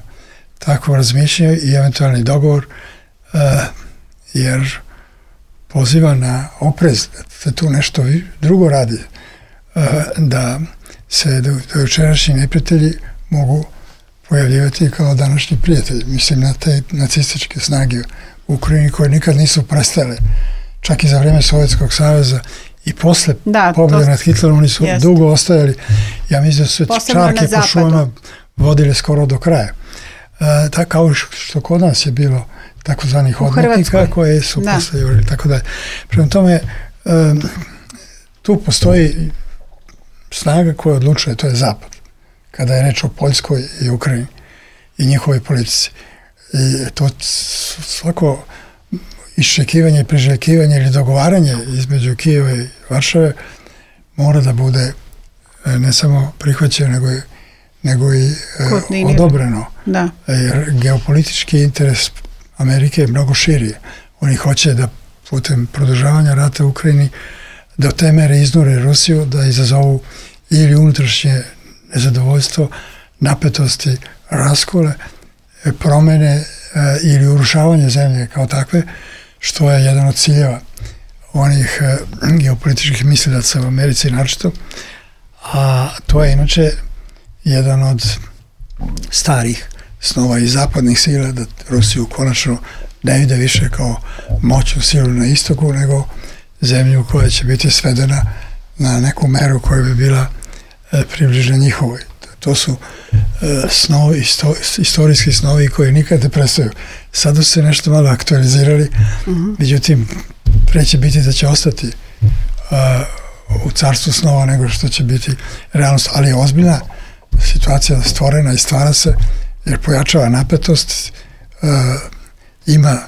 takvo razmišljanje i eventualni dogovor, uh, jer poziva na oprez, da se tu nešto drugo radi, uh, da se do, do jučerašnji neprijatelji mogu pojavljivati kao današnji prijatelji. Mislim na te nacističke snage u Ukrajini koje nikad nisu prestale, čak i za vrijeme Sovjetskog saveza i posle pobjede nad Hitlerom oni su jest. dugo ostajali. Ja mislim da su čarke po šumama vodile skoro do kraja. Uh, tako kao što kod nas je bilo takozvanih odmetnika koje su da. posle jurili, tako da. Prema tome, um, tu postoji snaga koja odlučuje, to je Zapad. kada je reč o Poljskoj i Ukrajini i njihovoj politici. I to svako iščekivanje, priželjkivanje ili dogovaranje između Kijeva i Varšave mora da bude ne samo prihvaćeno, nego i, nego i e, odobreno. Da. Jer geopolitički interes Amerike je mnogo širi. Oni hoće da putem produžavanja rata u Ukrajini do te mere iznure Rusiju, da izazovu ili unutrašnje nezadovoljstvo, napetosti, raskole, promene e, ili urušavanje zemlje kao takve, što je jedan od ciljeva onih e, geopolitičkih mislilaca u Americi naročito. A to je inače jedan od starih snova i zapadnih sila, da Rusiju konačno ne vide više kao moćnu silu na istoku, nego zemlju koja će biti svedena na neku meru koja bi bila e, približna njihovoj. To su e, snovi, isto, istorijski snovi koji nikad ne prestaju. Sada su se nešto malo aktualizirali, mm-hmm. međutim, pre će biti da će ostati a, u carstvu snova nego što će biti realnost, ali je ozbiljna situacija stvorena i stvara se jer pojačava napetost, a, ima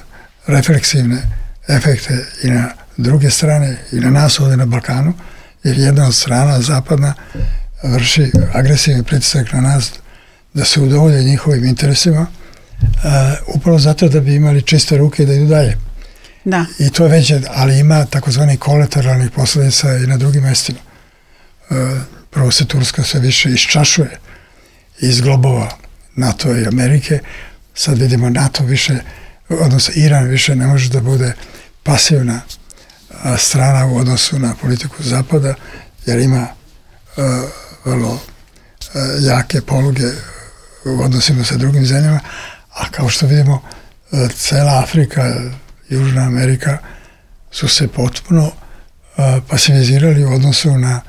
refleksivne efekte i na druge strane i na nas ovdje na Balkanu, jer jedna od strana zapadna vrši agresivni pritisak na nas da se udovolje njihovim interesima, uh, upravo zato da bi imali čiste ruke i da idu dalje. Da. I to je već, ali ima takozvani kolateralnih posljedica i na drugim mestima. Uh, prvo se Turska sve više iščašuje iz globova NATO i Amerike. Sad vidimo NATO više, odnosno Iran više ne može da bude pasivna uh, strana u odnosu na politiku Zapada, jer ima uh, vrlo uh, jake poluge u odnosima sa drugim zemljama, a kao što vidimo, uh, cela Afrika, Južna Amerika su se potpuno uh, pasivizirali u odnosu na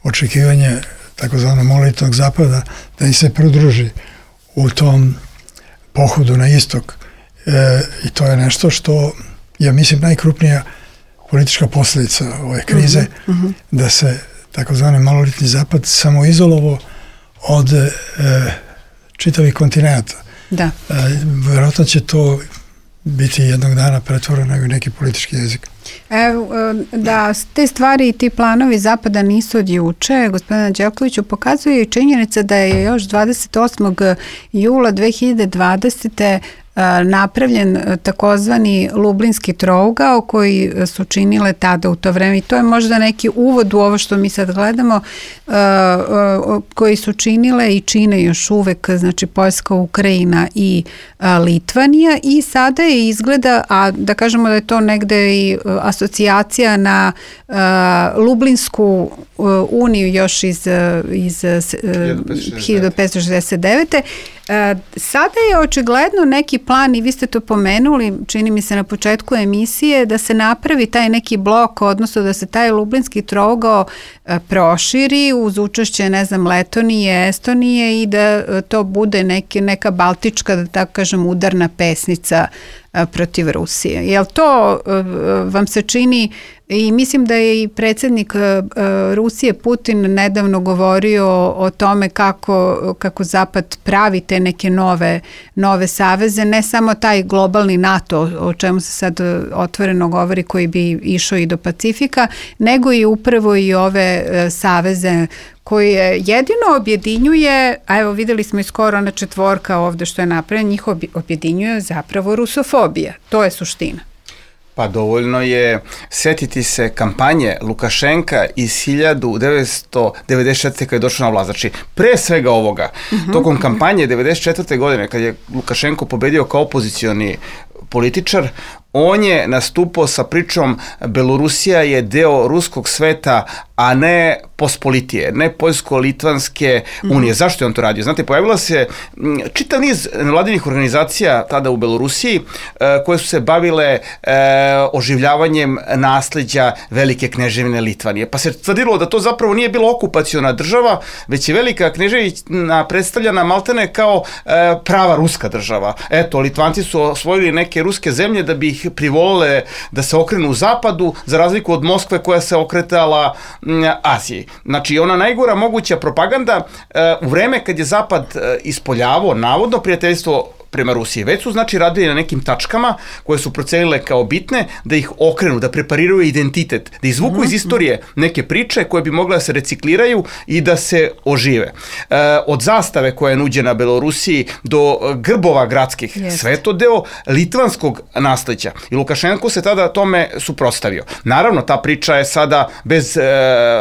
očekivanje takozvano monolitnog Zapada da im se pridruži u tom pohodu na istok. E, I to je nešto što, ja mislim, najkrupnija politička posljedica ove krize, mm-hmm. da se takozvani monolitni Zapad samoizolovao od e, čitavih kontinenta. Da. E, vjerojatno će to biti jednog dana pretvoreno u neki politički jezik. Evo, da te stvari i ti planovi Zapada nisu od juče, gospodina Đelkoviću, pokazuje i činjenica da je još dvadeset osmog jula dve hiljade dvadesete napravljen takozvani Lublinski trougao koji su činile tada u to vreme i to je možda neki uvod u ovo što mi sad gledamo, koji su činile i čine još uvek, znači Poljska, Ukrajina i Litvanija i sada je izgleda, a da kažemo da je to negde i asocijacija na Lublinsku uniju još iz, iz hiljadu petsto šezdeset devete. Sada je očigledno neki plan i vi ste to pomenuli, čini mi se na početku emisije, da se napravi taj neki blok, odnosno da se taj Lublinski trougao proširi uz učešće, ne znam, Letonije, Estonije i da to bude neke, neka baltička, da tako kažem, udarna pesnica protiv Rusije. Jel to vam se čini, i mislim da je i predsjednik Rusije Putin nedavno govorio o tome kako, kako Zapad pravi te neke nove, nove saveze, ne samo taj globalni NATO o čemu se sad otvoreno govori koji bi išao i do Pacifika, nego i upravo i ove saveze koje jedino objedinjuje, a evo videli smo i skoro ona četvorka ovde što je napravljena, njih objedinjuje zapravo rusofobija. To je suština. Pa dovoljno je setiti se kampanje Lukašenka iz hiljadu devetsto devedeset četvrte. kada je došao na vlast. Znači, pre svega ovoga, uh-huh. tokom kampanje devedeset četvrte. godine, kad je Lukašenko pobedio kao opozicioni političar, on je nastupao sa pričom Belorusija je deo ruskog sveta, a ne pospolitije, ne poljsko-litvanske unije. Mm. Zašto je on to radio? Znate, pojavila se čitav niz nevladinih organizacija tada u Belorusiji koje su se bavile e, oživljavanjem nasleđa Velike kneževine Litvanije. Pa se tvrdilo da to zapravo nije bila okupaciona država, već je Velika kneževina predstavljena maltene kao e, prava ruska država. Eto, Litvanci su osvojili neke ruske zemlje da bi ih privolile da se okrenu u zapadu, za razliku od Moskve koja se okretala Aziji. Rusiji. Znači, ona najgora moguća propaganda u vreme kad je Zapad ispoljavao navodno prijateljstvo prema Rusiji. Već su znači radili na nekim tačkama koje su procenile kao bitne, da ih okrenu, da prepariraju identitet, da izvuku iz istorije neke priče koje bi mogle da se recikliraju i da se ožive. E, od zastave koja je nuđena Belorusiji do grbova gradskih, Jest. sve je to deo litvanskog nasleđa. I Lukašenko se tada tome suprotstavio. Naravno, ta priča je sada bez e,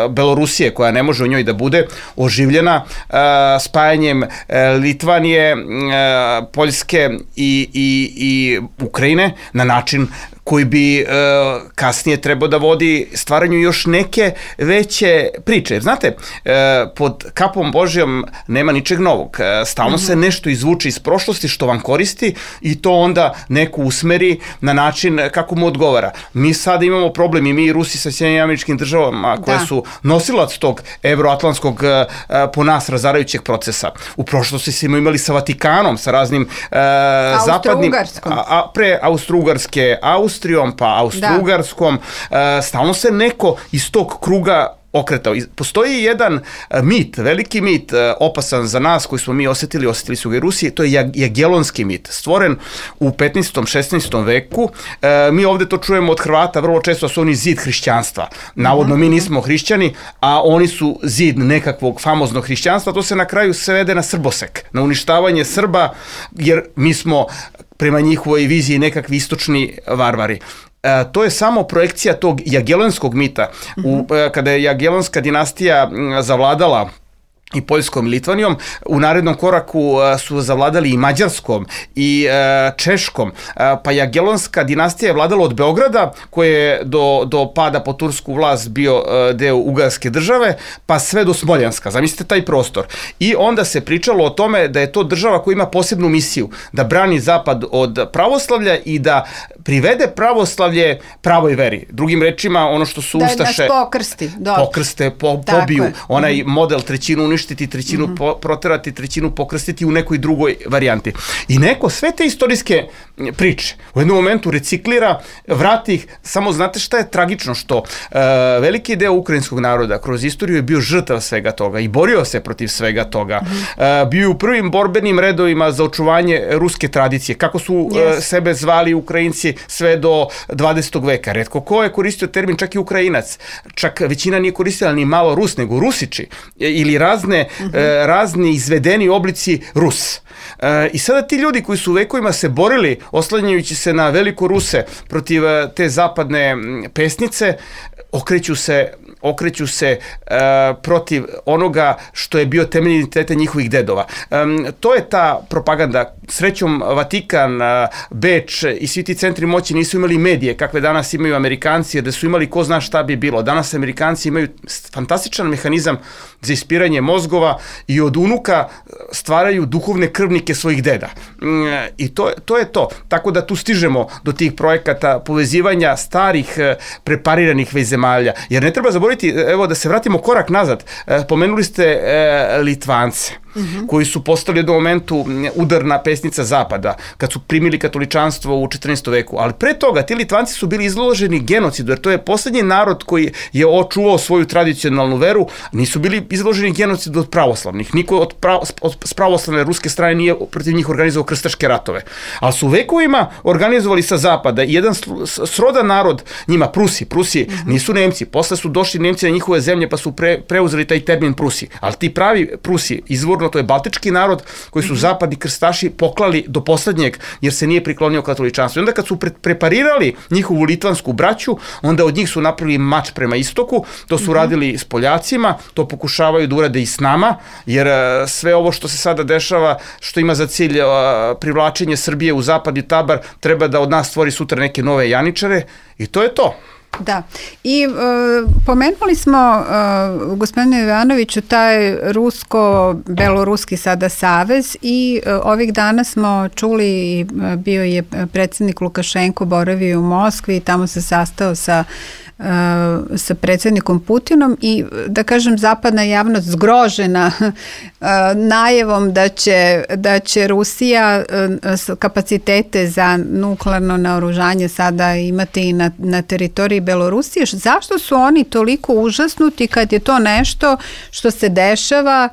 Belorusije, koja ne može u njoj da bude, oživljena e, spajanjem e, Litvanije, e, Poljske i, i, i Ukrajine na način koji bi e, kasnije trebao da vodi stvaranju još neke veće priče. Jer znate, e, pod kapom Božjom nema ničeg novog. E, stalno mm-hmm. se nešto izvuče iz prošlosti što vam koristi i to onda neko usmeri na način kako mu odgovara. Mi sada imamo problem i mi i Rusi sa Sjedinjenim Američkim Državama koje da. su nosilac tog evroatlantskog e, po nas razarajućeg procesa. U prošlosti smo imali sa Vatikanom, sa raznim e, zapadnim... A, a, pre Austro-Ugarske, Austro Austrijom, pa Austro-Ugarskom, da. stalno se neko iz tog kruga okretao. Postoji jedan mit, veliki mit, opasan za nas koji smo mi osetili, osetili su ga i Rusiji, to je Jagelonski mit, stvoren u petnaestom šesnaestom veku. E, mi ovde to čujemo od Hrvata vrlo često, da su oni zid hrišćanstva. Navodno mi nismo hrišćani, a oni su zid nekakvog famoznog hrišćanstva. To se na kraju svede na srbosek, na uništavanje Srba, jer mi smo prema njihovoj viziji nekakvi istočni varvari. E, to je samo projekcija tog jagelonskog mita. U, e, kada je Jagelonska dinastija zavladala i Poljskom i Litvanijom, u narednom koraku su zavladali i Mađarskom i e, Češkom, e, pa Jagelonska dinastija je vladala od Beograda, koji je do, do pada po tursku vlast bio e, deo Ugarske države, pa sve do Smoljanska. Zamislite taj prostor. I onda se pričalo o tome da je to država koja ima posebnu misiju, da brani Zapad od pravoslavlja i da privede pravoslavlje pravoj veri. Drugim rečima, ono što su da Ustaše... Da nas pokrsti. Dobro. Pokrste, po, pobiju. Onaj mm. model trećinu uništiti, trećinu mm-hmm. po, proterati, trećinu pokrstiti u nekoj drugoj varijanti. I neko sve te istorijske priče u jednom momentu reciklira, vrati ih, samo znate šta je tragično, što uh, veliki deo ukrajinskog naroda kroz istoriju je bio žrtav svega toga i borio se protiv svega toga. Mm-hmm. Uh, bio je u prvim borbenim redovima za očuvanje ruske tradicije. Kako su yes. uh, sebe zvali Ukrajinci sve do dvadesetog veka. Retko ko je koristio termin, čak i Ukrajinac. Čak većina nije koristila ni malo Rus, nego Rusiči. Ili razne, mm-hmm. e, razni izvedeni oblici Rus. E, I sada ti ljudi koji su vekovima se borili, oslanjajući se na veliko Ruse protiv te zapadne pesnice, okreću se okreću se uh, protiv onoga što je bio temelj identiteta njihovih dedova. Um, to je ta propaganda. Srećom, Vatikan, uh, Beč i svi ti centri moći nisu imali medije kakve danas imaju Amerikanci, jer da su imali ko zna šta bi bilo. Danas Amerikanci imaju fantastičan mehanizam za ispiranje mozgova i od unuka stvaraju duhovne krvnike svojih deda. Um, I to, to je to. Tako da tu stižemo do tih projekata povezivanja starih prepariranih već zemalja. Jer ne treba zaboraviti, evo da se vratimo korak nazad, pomenuli ste e, Litvance, mm-hmm. koji su postali u jednom momentu udarna pesnica Zapada, kad su primili katoličanstvo u četrnaestom veku, ali pre toga ti Litvanci su bili izloženi genocidu, jer to je poslednji narod koji je očuvao svoju tradicionalnu veru, nisu bili izloženi genocidu od pravoslavnih, niko od, prav, od pravoslavne ruske strane nije protiv njih organizovao krstaške ratove, ali su vekovima organizovali sa Zapada i jedan srodan narod njima, Prusi, Prusi mm-hmm. nisu Nemci, posle su došli Nemci na njihove zemlje pa su pre, preuzeli taj termin Prusi, ali ti pravi Prusi, izvorno to je baltički narod koji su mm-hmm. zapadni krstaši poklali do poslednjeg jer se nije priklonio katoličanstvu. I onda kad su pre, preparirali njihovu litvansku braću, onda od njih su napravili mač prema istoku, to su mm-hmm. radili s Poljacima, to pokušavaju da urade i s nama, jer uh, sve ovo što se sada dešava, što ima za cilj uh, privlačenje Srbije u zapadni tabar, treba da od nas stvori sutra neke nove janičare i to je to. Da, i e, pomenuli smo, e, gospodine Ivanoviću, taj rusko-beloruski sada savez i e, ovih dana smo čuli, i bio je predsjednik Lukašenko, boravio u Moskvi i tamo se sastao sa sa predsjednikom Putinom i da kažem zapadna javnost zgrožena najevom da će, da će Rusija kapacitete za nuklearno naoružanje sada imati i na, na teritoriji Belorusije, zašto su oni toliko užasnuti kad je to nešto što se dešava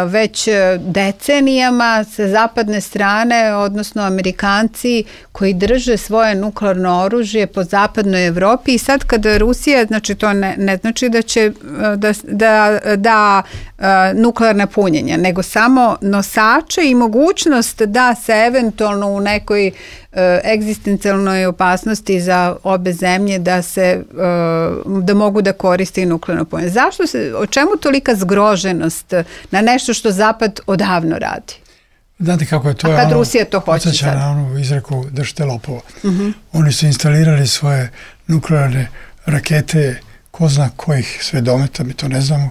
već decenijama sa zapadne strane, odnosno Amerikanci koji drže svoje nuklearno oružje po zapadnoj Evropi i sad kada Rusija, znači to ne, ne znači da će da, da, da nuklearna punjenja, nego samo nosače i mogućnost da se eventualno u nekoj egzistencijalnoj opasnosti za obe zemlje da se da mogu da koriste i nuklearno punjenje. Zašto se, o čemu tolika zgroženost na nešto što Zapad odavno radi? Znate kako je to? A kad ono, Rusija to hoće sad? Na onu izreku držite lopova. Uh-huh. Oni su instalirali svoje nuklearne rakete, ko zna kojih sve dometa, mi to ne znamo,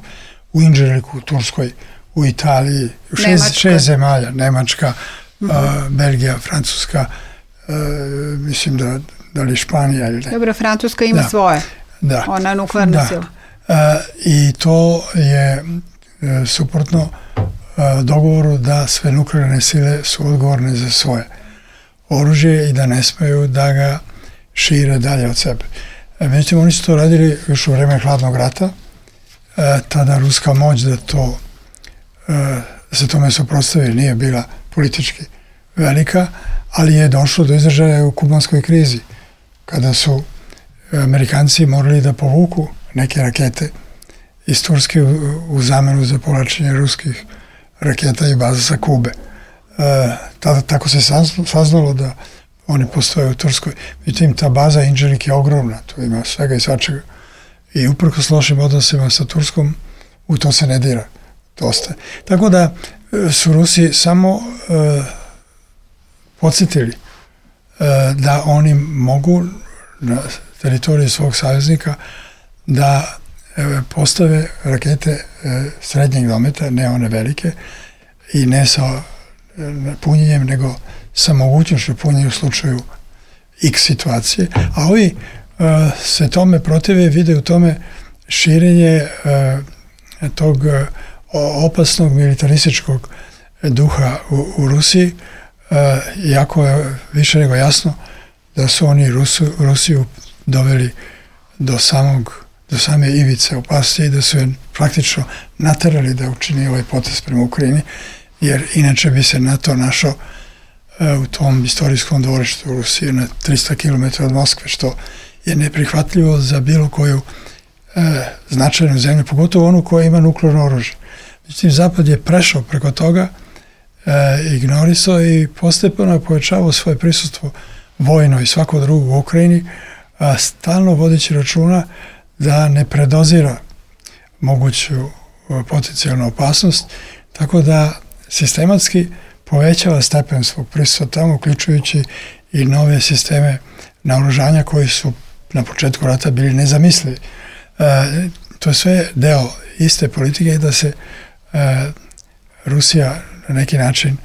u Inđeliku, u Turskoj, u Italiji, u šest, šest zemalja, Nemačka, uh-huh. a, Belgija, Francuska, a, mislim da, da li Španija ili ne. Dobro, Francuska ima da. svoje. Da. Ona nuklearna da. sila. A, I to je e, suprotno dogovoru da sve nuklearne sile su odgovorne za svoje oružje i da ne smeju da ga šire dalje od sebe. Međutim, oni su to radili još u vreme hladnog rata, tada ruska moć da to da se tome suprotstavi nije bila politički velika, ali je došlo do izražaja u kubanskoj krizi, kada su Amerikanci morali da povuku neke rakete iz Turske u, u zamenu za povlačenje ruskih raketa i baza sa Kube. E, tada tako se saznalo da oni postoje u Turskoj. Međutim, ta baza Inđelik je ogromna, tu ima svega i svačega. I uprkos lošim odnosima sa Turskom, u to se ne dira. To ostaje. Tako da su Rusi samo e, podsjetili e, da oni mogu na teritoriji svog saveznika da postave rakete srednjeg dometa, ne one velike, i ne sa punjenjem, nego sa mogućnošću punjenja u slučaju X situacije. A ovi se tome protive, vide u tome širenje tog opasnog militarističkog duha u, u Rusiji, iako je više nego jasno da su oni Rusu, Rusiju doveli do samog do same ivice opasnosti i da su je praktično naterali da učini ovaj potez prema Ukrajini, jer inače bi se NATO našao e, u tom istorijskom dvorištu u Rusiji na tristo kilometara od Moskve, što je neprihvatljivo za bilo koju e, značajnu zemlju, pogotovo onu koja ima nuklearno oružje. Međutim, Zapad je prešao preko toga, e, ignorisao i postepeno povećavao svoje prisustvo vojno i svako drugo u Ukrajini, a stalno vodeći računa da ne predozira moguću potencijalnu opasnost, tako da sistematski povećava stepen svog prisustva tamo, uključujući i nove sisteme naoružanja koji su na početku rata bili nezamislivi. E, to je sve deo iste politike da se e, Rusija na neki način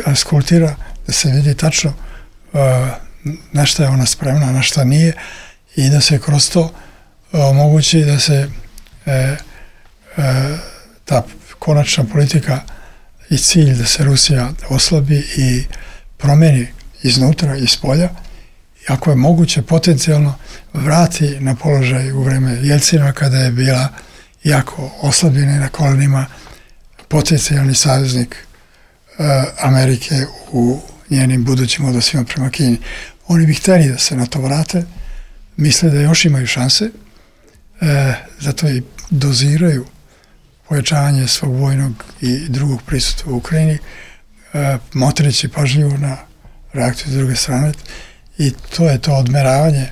eskultira, da se vidi tačno e, na šta je ona spremna, na šta nije, i da se kroz to omogući da se e, e, ta konačna politika i cilj da se Rusija oslabi i promeni iznutra i spolja, i ako je moguće potencijalno vrati na položaj u vreme Jelcina, kada je bila jako oslabljena na kolenima, potencijalni saveznik e, Amerike u njenim budućim odnosima prema Kini. Oni bi hteli da se na to vrate, misle da još imaju šanse, e, zato i doziraju pojačavanje svog vojnog i drugog prisustva u Ukrajini, e, motrići pažljivo na reakciju s druge strane, i to je to odmeravanje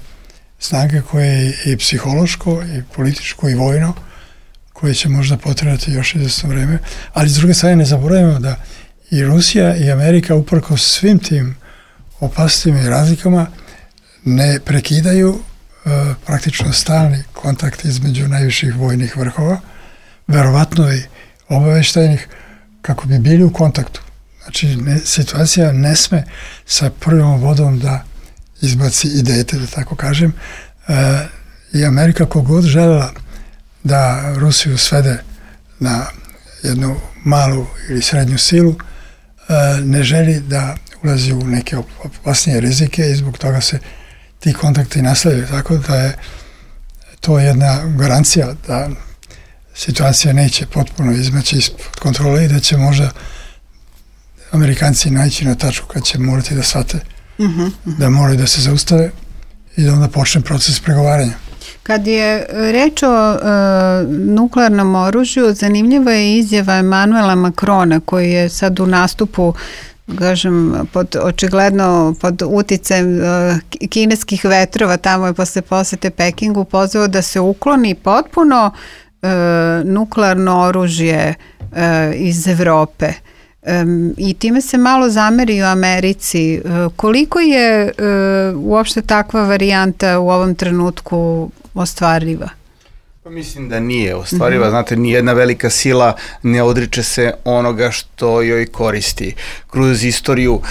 snage koje je i psihološko, i političko, i vojno, koje će možda potrebati još izvesno vreme, ali s druge strane ne zaboravimo da i Rusija i Amerika uprkos svim tim opasnostima i razlikama ne prekidaju e, praktično stalni kontakt između najviših vojnih vrhova, verovatno i obaveštajnih, kako bi bili u kontaktu. Znači, ne, situacija ne sme sa prvom vodom da izbaci i dete, da tako kažem. E, I Amerika kogod želela da Rusiju svede na jednu malu ili srednju silu, e, ne želi da ulazi u neke opasnije rizike, i zbog toga se ti kontakti nastavljaju, tako da je to jedna garancija da situacija neće potpuno izmaći ispod kontrole i da će možda Amerikanci naći na tačku kad će morati da shvate uh-huh, uh-huh. da moraju da se zaustave i da onda počne proces pregovaranja. Kad je reč o uh, nuklearnom oružju, zanimljiva je izjava Emanuela Macrona koji je sad u nastupu, kažem, pod, očigledno pod uticajem uh, kineskih vetrova, tamo je posle posete Pekingu pozvao da se ukloni potpuno uh, nuklearno oružje uh, iz Evrope. Um, i time se malo zameri u Americi. Uh, koliko je uh, uopšte takva varijanta u ovom trenutku ostvariva? Pa mislim da nije ostvariva, mm-hmm. znate, nijedna velika sila ne odriče se onoga što joj koristi. Kroz istoriju, uh,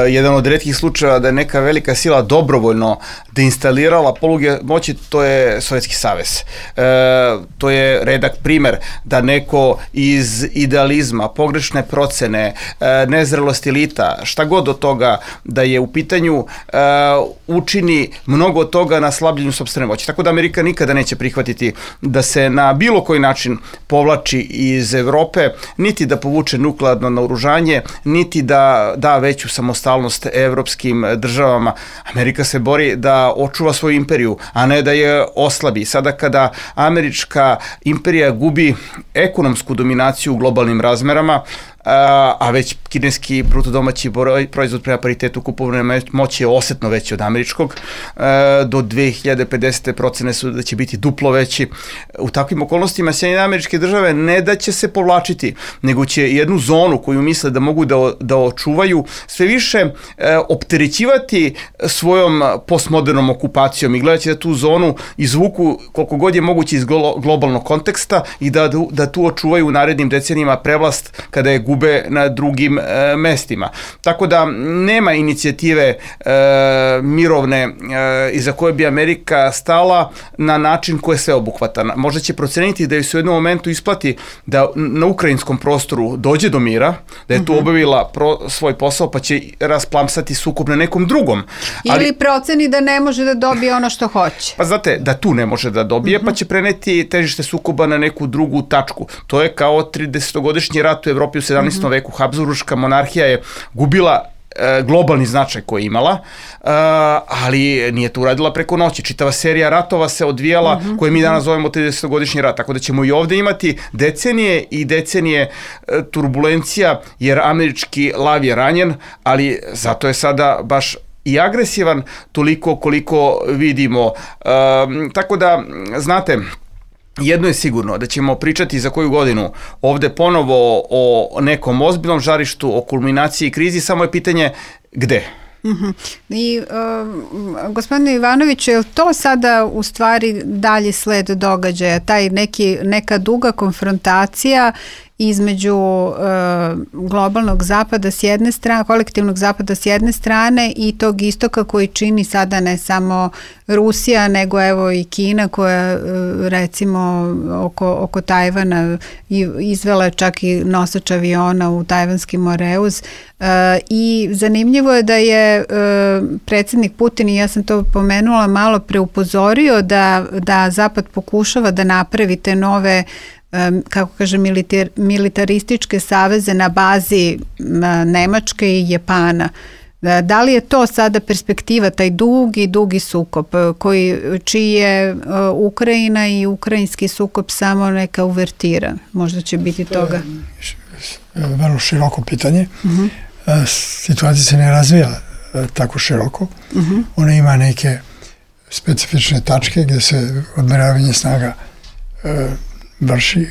jedan od retkih slučajeva da je neka velika sila dobrovoljno deinstalirala poluge moći, to je Sovjetski savez. Uh, to je redak primer da neko iz idealizma, pogrešne procene, uh, nezrelosti elita, šta god od toga da je u pitanju, uh, učini mnogo toga na slabljenju sopstvene moći. Tako da Amerika nikada neće prihvatiti da se na bilo koji način povlači iz Evrope, niti da povuče nuklearno naoružanje, niti da da veću samostalnost evropskim državama. Amerika se bori da očuva svoju imperiju, a ne da je oslabi. Sada kada američka imperija gubi ekonomsku dominaciju u globalnim razmerama, a već kineski bruto domaći proizvod prema paritetu kupovne moći je osetno veći od američkog, do dve hiljade pedesete procene su da će biti duplo veći. U takvim okolnostima Sjedinjene Američke Države ne da će se povlačiti, nego će jednu zonu koju misle da mogu da, da očuvaju sve više opterećivati svojom postmodernom okupacijom i gledaće da tu zonu izvuku koliko god je moguće iz globalnog konteksta i da, da tu očuvaju u narednim decenijima prevlast kada je gube na drugim e, mestima. Tako da nema inicijative e, mirovne e, iza koje bi Amerika stala na način koji je sveobuhvatan. Možda će proceniti da joj se u jednom momentu isplati da na ukrajinskom prostoru dođe do mira, da je tu obavila pro, svoj posao, pa će rasplamsati sukob na nekom drugom. Ali, ili proceni da ne može da dobije ono što hoće. Pa znate, da tu ne može da dobije, uh-huh. pa će preneti težište sukoba na neku drugu tačku. To je kao tridesetogodišnji rat u Evropi u sedamnaestom veku. Habsburška monarhija je gubila e, globalni značaj koji je imala, e, ali nije to uradila preko noći. Čitava serija ratova se odvijala, uh-huh. koje mi danas zovemo tridesetogodišnji rat, tako da ćemo i ovde imati decenije i decenije e, turbulencija, jer američki lav je ranjen, ali zato je sada baš i agresivan toliko koliko vidimo. E, tako da, znate, jedno je sigurno, da ćemo pričati za koju godinu ovde ponovo o nekom ozbiljnom žarištu, o kulminaciji i krizi, samo je pitanje gde. Uh-huh. I uh, gospodine Ivanoviću, je li to sada u stvari dalji sled događaja, taj neki, neka duga konfrontacija između uh, globalnog zapada s jedne strane, kolektivnog zapada s jedne strane i tog istoka koji čini sada ne samo Rusija, nego evo i Kina koja uh, recimo oko, oko Tajvana izvela čak i nosač aviona u tajvanski Moreuz. Uh, I zanimljivo je da je uh, predsjednik Putin, i ja sam to pomenula malo, preupozorio da, da Zapad pokušava da napravi te nove kako kaže, militar, militarističke saveze na bazi Nemačke i Japana. Da li je to sada perspektiva, taj dugi, dugi sukob, koji, čiji je Ukrajina i ukrajinski sukob samo neka uvertira? Možda će biti toga. Vrlo široko pitanje. Uh-huh. Situacija se ne razvija tako široko. Uh-huh. Ona ima neke specifične tačke gdje se odmeravanje snaga vrši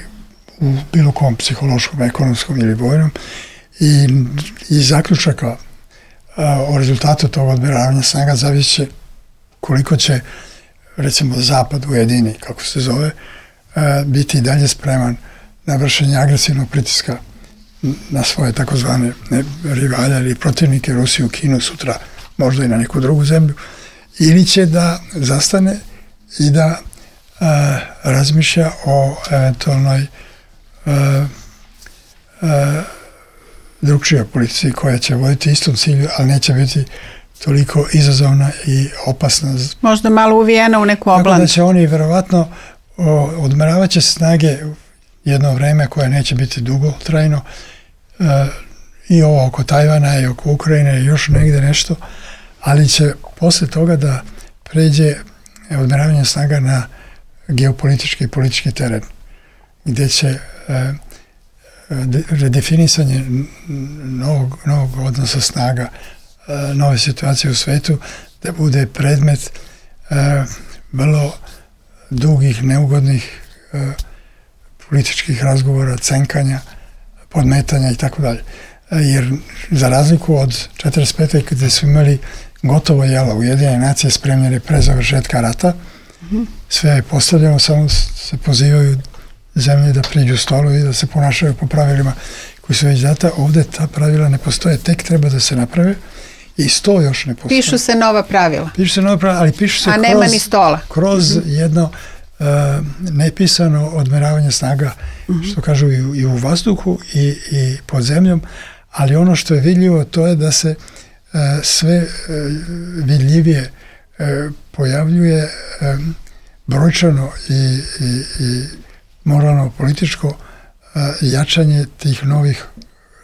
u bilo kom psihološkom, ekonomskom ili vojnom i, i zaključaka a, o rezultatu tog odmeravanja snaga zavisi koliko će, recimo, Zapad ujedini, kako se zove, a, biti i dalje spreman na vršenje agresivnog pritiska na svoje takozvane rivalje ili protivnike, Rusiju, Kinu, sutra možda i na neku drugu zemlju, ili će da zastane i da Uh, razmišlja o eventualnoj uh, uh, drugčijoj politici koja će voditi istom cilju, ali neće biti toliko izazovna i opasna. Možda malo uvijena u neku oblan. Tako da će oni verovatno odmeravat će snage jedno vreme koje neće biti dugo trajno, e, i ovo oko Tajvana i oko Ukrajine i još negde nešto, ali će posle toga da pređe odmeravanje snaga na geopolitički i politički teren, gdje će e, redefinisanje novog, novog odnosa snaga, e, nove situacije u svetu, da bude predmet e, vrlo dugih, neugodnih e, političkih razgovora, cenkanja, podmetanja i tako dalje. Jer za razliku od četrdeset pete kada su imali gotovo jelo, Ujedinjene nacije spremljene pre završetka rata, mm-hmm. sve je postavljeno, samo se pozivaju zemlje da priđu stolu i da se ponašaju po pravilima koji su već data. Ovde ta pravila ne postoje, tek treba da se naprave i sto još ne postoje. Pišu se nova pravila. Pišu se nova pravila, ali pišu se A kroz, nema ni stola. kroz mm-hmm. jedno uh, nepisano odmeravanje snaga, mm-hmm. što kažu i, i u vazduhu i, i pod zemljom, ali ono što je vidljivo to je da se uh, sve uh, vidljivije uh, pojavljuje um, brojčano i, i, i moralno političko uh, jačanje tih novih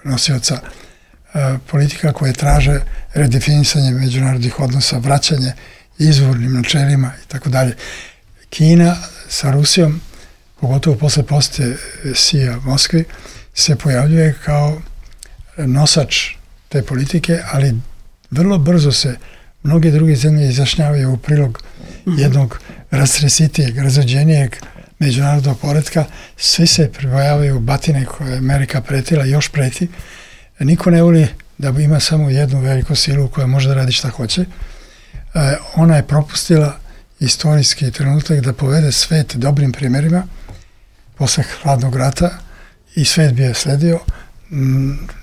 nosioca uh, politika koje traže redefinisanje međunarodnih odnosa, vraćanje izvornim načelima i tako dalje. Kina sa Rusijom, pogotovo posle posete Sija Moskvi, se pojavljuje kao nosač te politike, ali vrlo brzo se mnoge druge zemlje izjašnjavaju u prilog jednog rastresitijeg, razređenijeg međunarodnog poretka. Svi se pribojavaju batine koje je Amerika pretila i još preti. Niko ne voli da ima samo jednu veliku silu koja može da radi šta hoće. E, ona je propustila istorijski trenutak da povede svet dobrim primjerima posle hladnog rata i svet bi je sledio.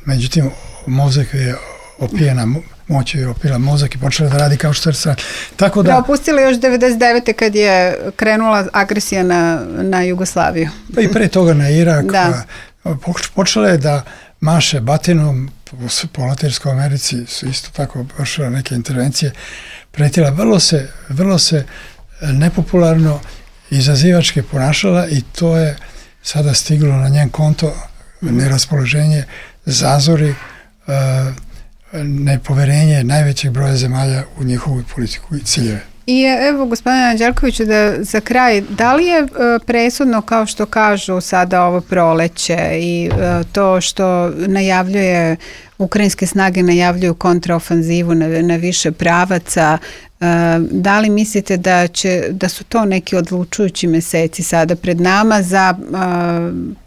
Međutim, mozak je opijena, moć je opila mozak i počela da radi kao što je sad. Tako da... Propustila još devedeset devete kad je krenula agresija na, na Jugoslaviju. Pa i pre toga na Irak. Da. Počela je da maše batinom, po Latinskoj Americi su isto tako vršile neke intervencije, pretila, vrlo se, vrlo se nepopularno izazivački ponašala i to je sada stiglo na njen konto, neraspoloženje, zazori, nepoverenje najvećeg broja zemalja u njihovu politiku i ciljeve. I evo, gospodine Anđelkoviću, da za kraj, da li je presudno, kao što kažu sada ovo proleće i to što najavljuje, ukrajinske snage najavljuju kontraofanzivu na, na više pravaca, da li mislite da će, da su to neki odlučujući meseci sada pred nama za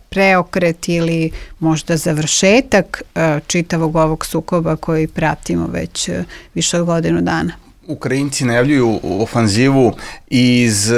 preokret ili možda završetak čitavog ovog sukoba koji pratimo već više od godinu dana? Ukrajinci najavljuju ofanzivu iz uh,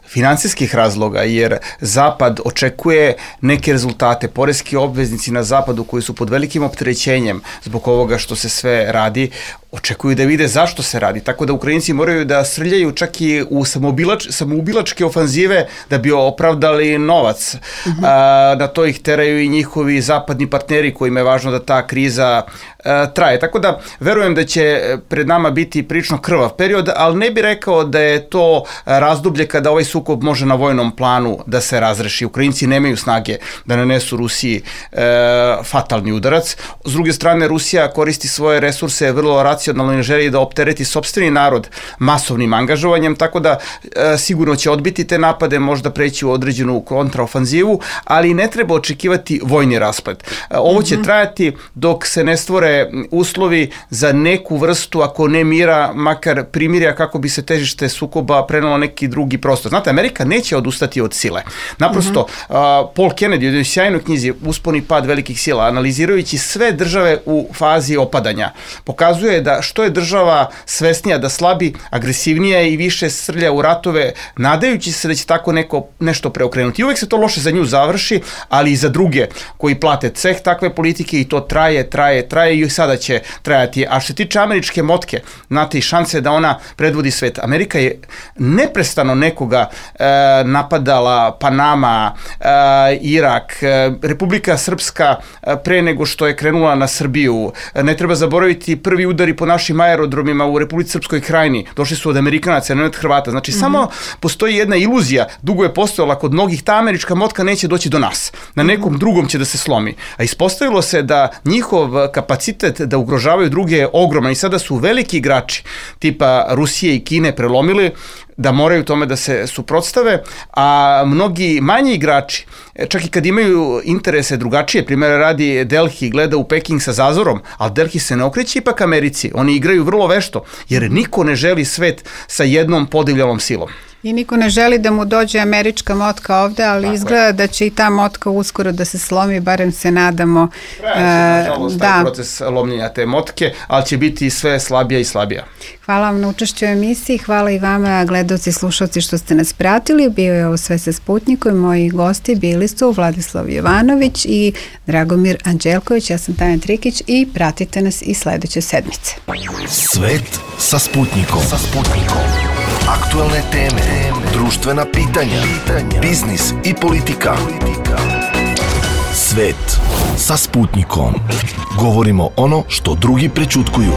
finansijskih razloga, jer Zapad očekuje neke rezultate. Poreski obveznici na Zapadu koji su pod velikim opterećenjem zbog ovoga što se sve radi, očekuju da vide zašto se radi. Tako da Ukrajinci moraju da srljaju čak i u samoubilač, samoubilačke ofanzive da bi opravdali novac. Mm-hmm. A, na to ih teraju i njihovi zapadni partneri kojima je važno da ta kriza a, traje. Tako da verujem da će pred nama biti prilično krvav period, ali ne bih rekao da je to razdoblje kada ovaj sukob može na vojnom planu da se razreši. Ukrajinci nemaju snage da nanesu Rusiji e, fatalni udarac. S druge strane, Rusija koristi svoje resurse vrlo racionalno i ne želi da optereti sopstveni narod masovnim angažovanjem, tako da e, sigurno će odbiti te napade, možda preći u određenu kontraofanzivu, ali ne treba očekivati vojni rasplet. E, ovo će trajati dok se ne stvore uslovi za neku vrstu, ako ne mira, makar primirja, kako bi se težište sukoba prenelo neki drugi prostor. Znate, Amerika neće odustati od sile. Naprosto, uh-huh. uh, Paul Kennedy u jednoj sjajnoj knjizi Uspon i pad velikih sila, analizirajući sve države u fazi opadanja, pokazuje da što je država svesnija da slabi, agresivnija i više srlja u ratove, nadajući se da će tako neko, nešto preokrenuti. I uvek se to loše za nju završi, ali i za druge koji plate ceh takve politike, i to traje, traje, traje i sada će trajati. A što se tiče američke motke, znate, i šanse da ona predvodi svet. Amerika je neprestano nekoga e, napadala, Panama, e, Irak, e, Republika Srpska e, pre nego što je krenula na Srbiju. E, ne treba zaboraviti prvi udari po našim aerodromima u Republici Srpskoj Krajini, došli su od Amerikanaca, ne od Hrvata. Znači, mm-hmm. samo postoji jedna iluzija, dugo je postojala kod mnogih, ta američka motka neće doći do nas. Na nekom mm-hmm. drugom će da se slomi. A ispostavilo se da njihov kapacitet da ugrožavaju druge je ogroman i sada su veliki igrači tipa Rusije i Kine prelomili da moraju tome da se suprotstave, a mnogi manji igrači, čak i kad imaju interese drugačije, primjer radi Delhi, gleda u Peking sa zazorom, ali Delhi se ne okreće ipak Americi, oni igraju vrlo vešto, jer niko ne želi svet sa jednom podivljalom silom. I niko ne želi da mu dođe američka motka ovde, ali tako izgleda je. Da će i ta motka uskoro da se slomi, barem se nadamo. Traje se, nažalost, taj proces lomljenja te motke, ali će biti sve slabija i slabija. Hvala vam na učešću u emisiji, hvala i vama gledaoci i slušalci što ste nas pratili. Bio je ovo Sve sa Sputnikom, moji gosti bili su Vladislav Jovanović i Dragomir Anđelković, ja sam Tanja Trikić i pratite nas i sledeće sedmice. Svet sa Sputnikom. Sa Sputnikom. Aktuelne teme, društvena pitanja, biznis i politika. Svet sa Sputnikom. Govorimo ono što drugi prećutkuju.